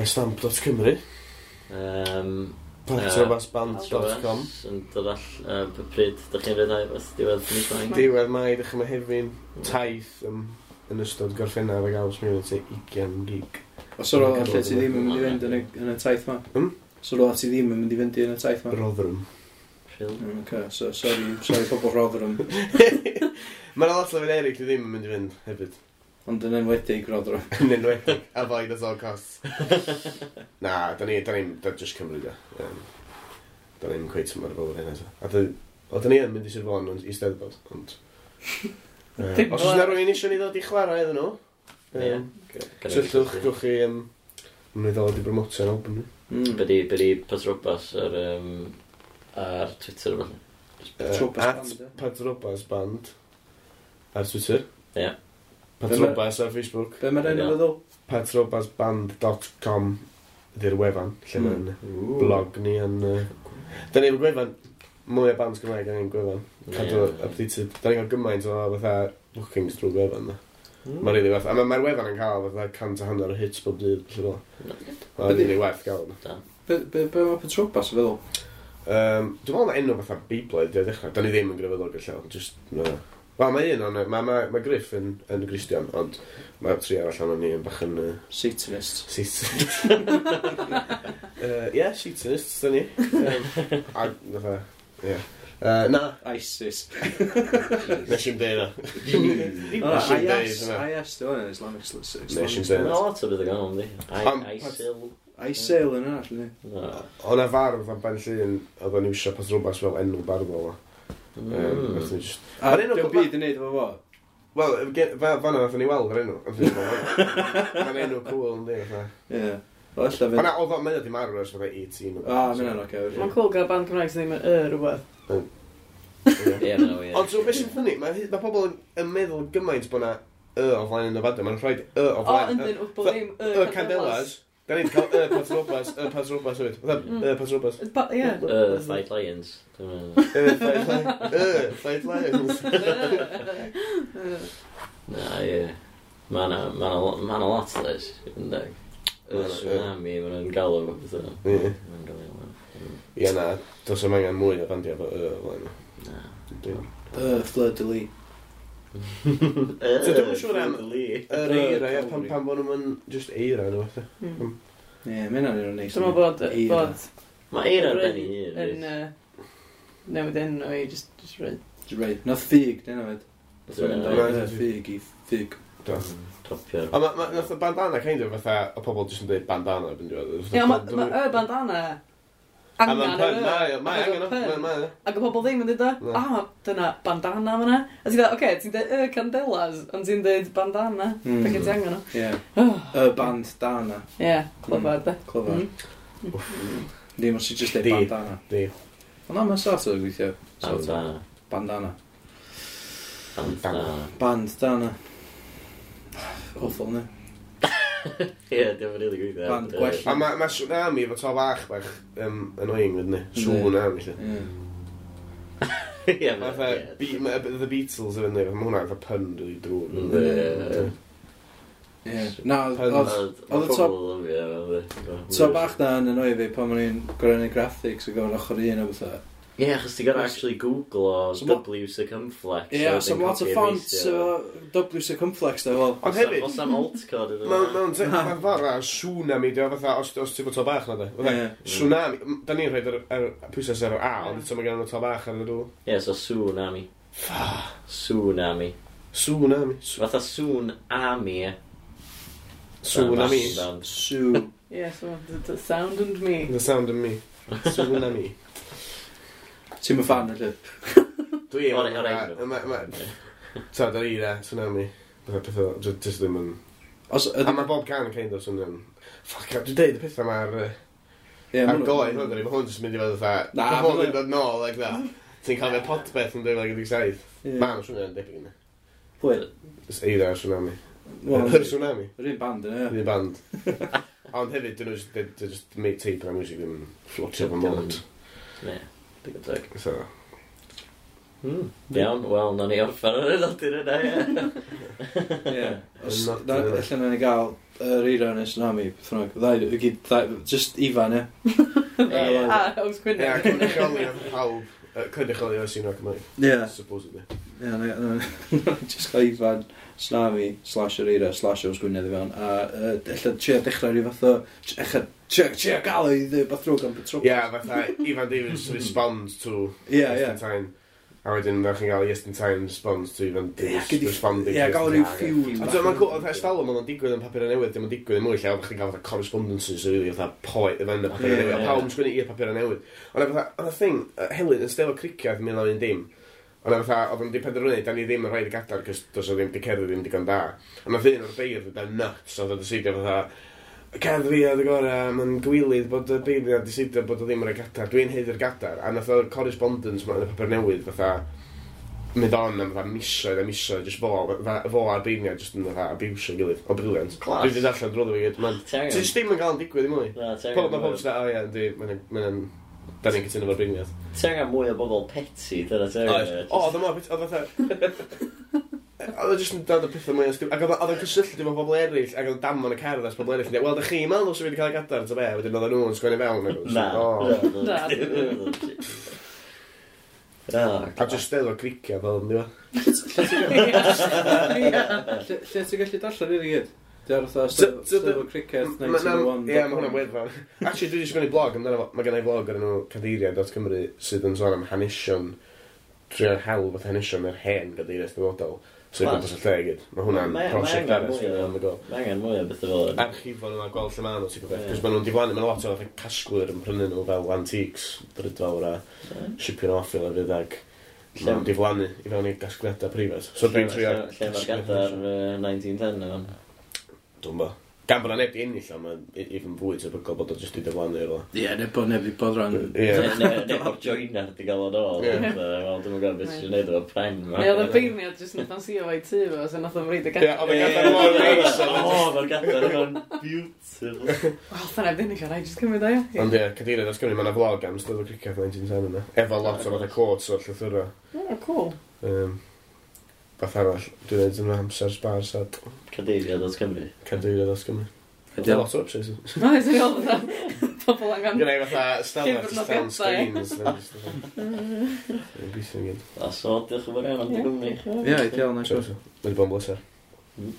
stamp dot cymru. Um, patrobasband dot com. Yn dod all, uh, pryd dych chi'n rhyddhau beth diwedd mis Mai? Diwedd Mai, dechrau Mehefin, taith um, yn ystod Gorffennaf ag Awst, mi fydd ugain gig. Os o'r lle ti ddim yn mynd i fynd yn y, yn y taith ma? Hmm? So rola ti ddim yn mynd i fynd i yn y taith ma? Rotherham. Rhyl. Mm, okay, so sorry, sorry pobl Rotherham, Mae yna lot o lefydd eraill dwi ddim yn mynd i fynd hefyd. Ond yn enwedig Rotherham. Yn enwedig, avoid at all costs. Na, da ni, da ni'n, da just Cymru da. Um, da ni'n cweit mor fel hynna. So. A da, o, da ni yn mynd i Sir Fôn ond i Steddfod, ond... Uh, Dim os oes yna rhywun eisiau ni ddod i chwarae iddyn nhw, Ie. um, cysylltwch, gewch chi, um, mynd i ddod i bromotio'n album ni. Mm. Be di, be di Patrobas ar, um, ar Twitter o falle? Uh, Patrobas at Band, ie? Patrobas Band ar Twitter. Ie. Patrobas ar Facebook. Be mae'r enw Ie. feddwl? patrobasband dot com ydy'r wefan, lle Mm. mae'n blog ni yn... Uh, da ni efo gwefan, mwy o bands Gymraeg yn ein gwefan. Cadw Ie. updated. Da ni'n cael gymaint o fatha bookings drwy gwefan. Da. Mm. Mae'n rili werth. A mae'r ma wefan yn cael fatha cant a hanner o hits bob dydd. Felly fel. Mae'n Ydi- rili werth gael. Da. Be, be, be mae Patrobas yn feddwl? Um, dwi'n meddwl na enw fatha Beiblaidd i ddechrau. Da ni ddim yn grefyddol gyda llaw. Just, no. Wel, mae un o'n... Mae ma, ma Griff yn, yn Gristion, ond mae'r tri arall o'n ni yn bach yn... Uh, Satanist. Satanist. uh, yeah, Satanists, da ni. Um, a, fatha, yeah. Uh, na, ISIS. nes i'm deud na. O, Nes i'm deud I S, hynna. I S, dwi'n hwnna, Islamic State. Nes i'm Mae deud. lot o beth o ganol, yndi? Am- ISIL. ISIL yn arall, yndi? No. O' na fardd am Ben Llŷn, oedd o'n iwsio Patrobas fel enw barddol o. Um, Mm. nathon ni just- A Ma'r enw- diolch byd yn neud efo fo. Wel, ge- fa- fan'na nathon ni weld yr enw. Nathon ni weld, mae'n enw cool, yndi, fatha. Ie. Wel, ella O fynd. na, oedd o, mae o di marw ers fatha eighteen. O, ma' hynna'n oce. Mae'n cool gael band Cymraeg sydd ddim yn y rhywbeth. Ie. Ie, mae'n weird. Ond so, beth sy'n funny, mae ma pobl yn, yn meddwl gymaint bod na y o flaen yn y fadau. Mae'n rhaid y o O, flaen. yndyn, wrth bod ddim Y y Candelas. Da ni wedi cael y Patrobas, y Patrobas hefyd. Fatha, y Patrobas. Pa- Ie. Y Fight Lions. Dwi'n Y Fight Lions. Y Fight Lions. Na, ie. Mae na, ma na, ma na lot les, yndeg. Y Ma' 'na, ie. tsunami, maen nhw'n galw fatha. Ie. Maen nhw'n galw. Ie, na, dos am angen mwy o fandiau efo y o flaen. Na. Dwi'n- Y Fleur de Lis. So dwi'm yn siŵr am- Yr Y eira, ie, pam, Calvary. pam bod nhw'n just eira nhw, fatha. Mm. Ie, mae hynna'n un o'n neis. Dwi'n meddwl bod, Eira. bod Mae eira ar ben ei hun. yn yy, newid enw i just, just rhaid. Reit, nath ffug, dyna fyd. Dwi'n Right. Y ffug i ffug. Do. Topio'r... Ond ma, ma, nath y bandana kind of fatha, o pobl jyst yn dweud bandana erbyn diwedd. Ie, ma, ma y bandana A ma'n angen pun, yr y. mae o, mae Achos angen o, o pun. mae, mae. Ac y pobl ddim yn dweud o, Na. ah, dyna bandana fyna. A ti'n dweud, oce, ti'n dweud y candelas, ond ti'n dweud bandana. Mm. Felly ti angen o. Ie. Oh. Y band dana. Ie, clyfar de. Clyfar. Mm. Ddim os ti just deud Di. bandana. Di. Ond na, mae'n sort of gweithio. Sort of. Bandana. Bandana. Bandana. Band dana. Awful, ne? Ie, diolch yn rili gweithio. Band gwell. A mae ma tsunami efo to bach bach um, annoying, fydden ni. Tsunami, lle. Ie. Ie, Mae fatha, Be- ma' The Beatles yn fyny, mae hwnna fatha pun really drwg. Yndi, ie. Ie. Na, Pun. oedd Oedd y to- pobl yn lyfio fo, to bach na yn annoio fi pan o'n i'n gwrando graphics a gofyn ochr un o bethau. Ie, achos ti'n gorau actually Google o So ma- W circumflex. Ie, a so wedyn ma lot o copy a fonts paste-io. efo W circumflex da, fel. Ond hefyd, Os am alt code iddo Mewn fo. mewn te- mae'n ffordd a tsunami, di o fatha, os, os ti fod to bach na de. Fatha, Ie. Tsunami, m- da ni'n rhaid yr, yr pwysau ar yr A, ond eto mae gen nhw to bach ar y dŵr. Ie, so tsunami. Tsunami. Tsunami. Fatha tsunami. Tsunami. Band. Su. Ie, so, the, the sound and me. The sound of me. Tsunami. Ti'n mynd fan, felly? Dwi O'r- o'r enw. Ma, ma, ta, da i da, tsunami. Fatha pethau, ju- just ddim yn... Os, A mae bob can yn kind of swnio'n... Fuck, dwi'n deud y pethau ma'r... Ie, Ar ma' nhw- goedd, hwn, mae hwn jyst yn mynd i fod fatha... Na, Mae hwn ma' yn dod nôl, like that. Ti'n cael fe podbeth yn dwy fil ag un deg saith. Ie. Ma' nhw'n swnio'n debyg yna. Pwy? Just eira o'r tsunami. Wel, Yr tsunami. Yr un band yna, ie. Yr un band. Ond hefyd, dyn nhw just, they, they just make tape na music ddim yn floatio fy mod. Ie, digon teg. So, Hmm, Iawn, wel, nawn ni orffen ar y nodyn yna, ie. Ie. Os, Not- na, ella nawn ni gael yr eira neu tsunami, beth bynnag. Ddau, i gyd, ddau, just Ifan, ie. Ie. A, Ows Ie, Gwynedd. cynrychioli nath pawb, yy, cynrychioli o'r scene rock Cymraeg, Ie. supposedly. Ie, na, na, just gael Ifan, tsunami, slash yr eira, slash Ows Gwynedd i fewn. A uh, ella trio dechrau rhyw fath o... Ella trio, trio gael o i ddweud beth drwg am Patrobas. Ie, fatha Ifan Davies responds to Ie, ie. Iestyn Tyne. A wedyn, ddech chi'n gael Iestyn Tyne responds to Ifan Ie, Davies gyd i- responding Ie, to gael Iestyn rhyw Tyne. feud. A dwi'n mae'n cool, oedd ers talwm oedd o'n digwydd yn papur newydd, dim yn digwydd yn mwy, lle oeddech chi'n cael fatha correspondences, really, fatha poet yn y papur Ie, newydd, a ie. pawb yn sgwennu i'r papur newydd. Ond fatha, oedd y thing, yy, Helen yn steddfod Cricieth mil naw un dim, ond fatha, oedd yn di penderfynu, da ni ddim yn rhaid y gadar, cos does o ddim, di cerdd ddim digon da. A nath un o'r beirdd yn nuts, oedd o'n decidio fatha, cerdd fi oedd y gorau, mae'n gwilydd bod y beirdd decidio bod o ddim yn rhoi gadar, dwi'n haeddu'r gadar. A nath o'r correspondence ma yn y papur newydd, fatha, mynd on am fatha misoedd a misoedd, just fo, fatha, fo a'r beirniad just yn fatha abusio gilydd. O, brilliant. Class. Dwi wedi darllen drwyddo fi gyd. Ma'n... Ti angen- Ti just ddim yn gael yn digwydd i mwy. Na, ti Pob, angen mae pob mwy o- just o ie, yndi, mae'n... Mae'n... Da ni'n cytuno fo'r beirniad. Ti angen mwy o bobl petty, dyna ti angen. O, oedd o mor... Oedd fatha... Oedd o jyst yn dod o pethau mwy o stupid. Ac oedd o- oedd o'n cysylltu efo pobl eraill, ac oedd o'n damon y cerdd as pobl eraill. yn deud, Wel, da chi'n meddwl sy'n fi wedi cael ei gadar, ta be? Wedyn oedd nhw'n sgwennu fewn. ac oedd Na. o. Na. Na. A just steddfod Cricieth fel yn diwa. Ie. Lle lle ti'n gallu darllen hyn i gyd? Di ar fatha So- so Steddfod Cricieth Ma- na- naw un Ie, mae hwnna'n wefan. Actually, dwi wedi sgwennu blog amdano fo. Mae gen i blog ar enw cadeiriau dot cymru sydd yn sôn am hanesion, trio hel fath hanesion yr hen gadeiriau steddfodol. So i Class. gwmpas y lle i gyd. Mae hwnna'n Mae- mae prosiect angen arall mwy sydd o- on the go. Mae angen mwy o bethau fel yna. Archifo nhw a gweld lle maen nhw, ti'n gwybod. Ie. Cos maen nhw'n diflannu, maen nhw lot o fatha casglwyr yn prynu nhw fel antiques, drydfawr a shipio nhw off i lefydd ag Lle- maen nhw'n diflannu i fewn i gasgliadau preifat. So dwi'n trio... Lle mae'r gadar yy, naw un un zero yma? Dwi'n bo. Gan bod na neb di ennill o, mae'n even fwy tebygol bod o jyst di diflannu o'r Ie, neu bod neb i bod ran. Ie. Neu neu bod joiner di gael o'n ôl. Ie. Wel, dwi'n gwybod beth sy'n gwneud efo pen ma. Neu oedd y beirniad jyst yn ffansio fo i tŷ fo, so nath o'n reid y Ie, gadar. oedd y gadar mor neis. O, mae'r gadar yma'n beautiful. Wel, dyna neb ennill o, rhaid jyst cymryd o, ie. Ond ie, cadeirydd dot Cymru, mae yna vlog am Steddfod Cricieth naw deg un yna. Efo lot o fatha quotes o'r llythyrau. O, cool. Um, Beth arall, dwi'n neud yn amser sbar sad. Cadeiria dot Cymru. Cadeirydd dot Cymru. Ydi o? Lot o websites. No, ys i'n gweld fatha pobl angen. Gwneud fatha stafell Llyfr llawn nodiadau. screens. Dwi'n gweithio'n gyd. A so, diolch yn fawr iawn am dy gwmni. Ie, ideal, nice So, one. so, Mae wedi bod yn bleser. Mm.